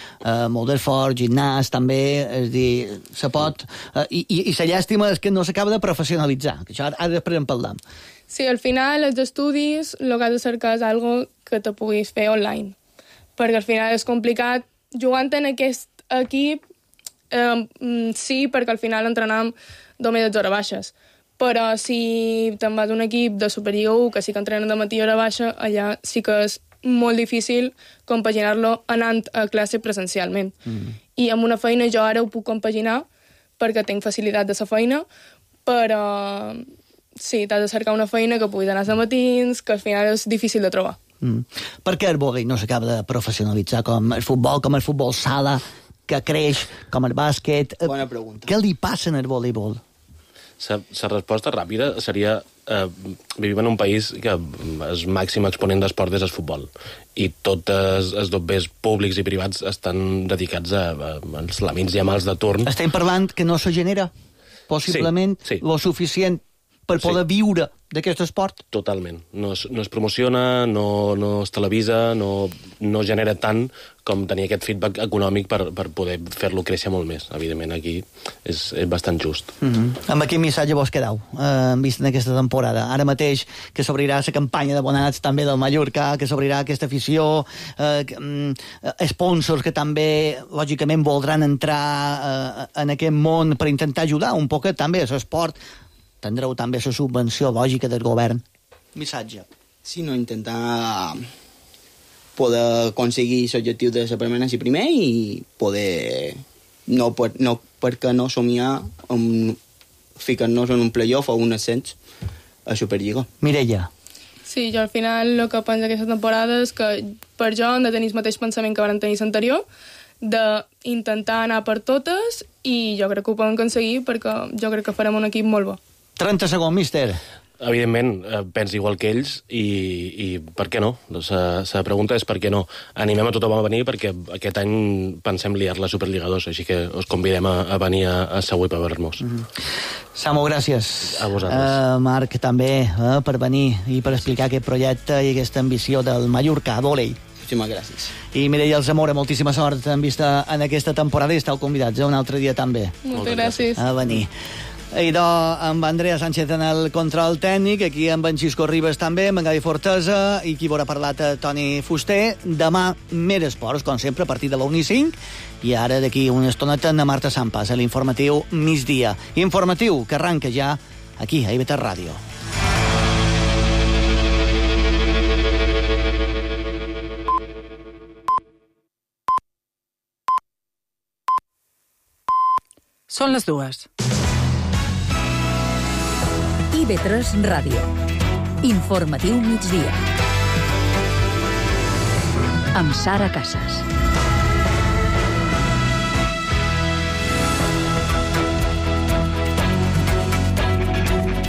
molt d'esforç, gimnàs, també, és dir, se pot... I la llàstima és que no s'acaba de professionalitzar, que això ara després en parlam. Sí, al final, els estudis, el que has de cercar és algo que te puguis fer online, perquè al final és complicat. Jugant en aquest equip, sí, perquè al final entrenem només de hores baixes, però si te'n vas a un equip de Superliga 1 que sí que entrenen de matí a hora baixa, allà sí que és molt difícil compaginar-lo anant a classe presencialment. I amb una feina jo ara ho puc compaginar perquè tinc facilitat de la feina, però sí, t'has de cercar una feina que puguis anar a matins, que al final és difícil de trobar. Per què el vòlei no s'acaba de professionalitzar com el futbol sala, que creix, com el bàsquet? Bona pregunta. Què li passa en el voleibol? La resposta ràpida seria vivim en un país que el màxim exponent d'esport és el futbol, i tots els dobbers públics i privats estan dedicats als lamins i amals de turn. Estem parlant que no se genera possiblement lo suficient per poder viure d'aquest esport? Totalment. No es promociona, no es televisa, no genera tant com tenir aquest feedback econòmic per poder fer-lo créixer molt més. Evidentment, aquí és bastant just. Amb quin missatge vos quedeu, vist en aquesta temporada? Ara mateix que s'obrirà la campanya d'abonats també del Mallorca, que s'obrirà aquesta afició, sponsors que també, lògicament, voldran entrar en aquest món per intentar ajudar un poquet també a l'esport. Tindreu també la subvenció lògica del govern. Missatge. Sí, no, intentar poder aconseguir l'objectiu de la permanència primer i poder, perquè no somiar ficar-nos en un playoff o un ascens a Superliga. Mireia. Sí, jo al final el que penso aquesta temporada és que per jo hem de tenir el mateix pensament que vam tenir l'anterior, d'intentar anar per totes, i jo crec que ho podem aconseguir perquè jo crec que farem un equip molt bo. 30 segons, míster. Evidentment, penso igual que ells i per què no? La pregunta és per què no. Animem a tothom a venir perquè aquest any pensem liar la Superliga 2, així que us convidem a venir a Segur per veure-nos. Samu, gràcies. A vosaltres. Marc, també, per venir i per explicar aquest projecte i aquesta ambició del Mallorca, vòlei. Moltíssimes gràcies. I Mireia Alzamora, moltíssima sort en vista en aquesta temporada i esteu convidats un altre dia també. Moltes gràcies. A venir. Idò amb Andrea Sánchez en el control tècnic, aquí amb en Xisco Ribas també, amb en Gavi Fortesa, i qui haurà parlat Toni Fuster. Demà, més esports, com sempre, a partir de la 1:05, i ara d'aquí una estoneta a Marta Sampas, a l'informatiu migdia. Informatiu que arranca ja aquí, a IB3 Ràdio. Són les 2. IB3 Ràdio. Informatiu migdia. Amb Sara Casas.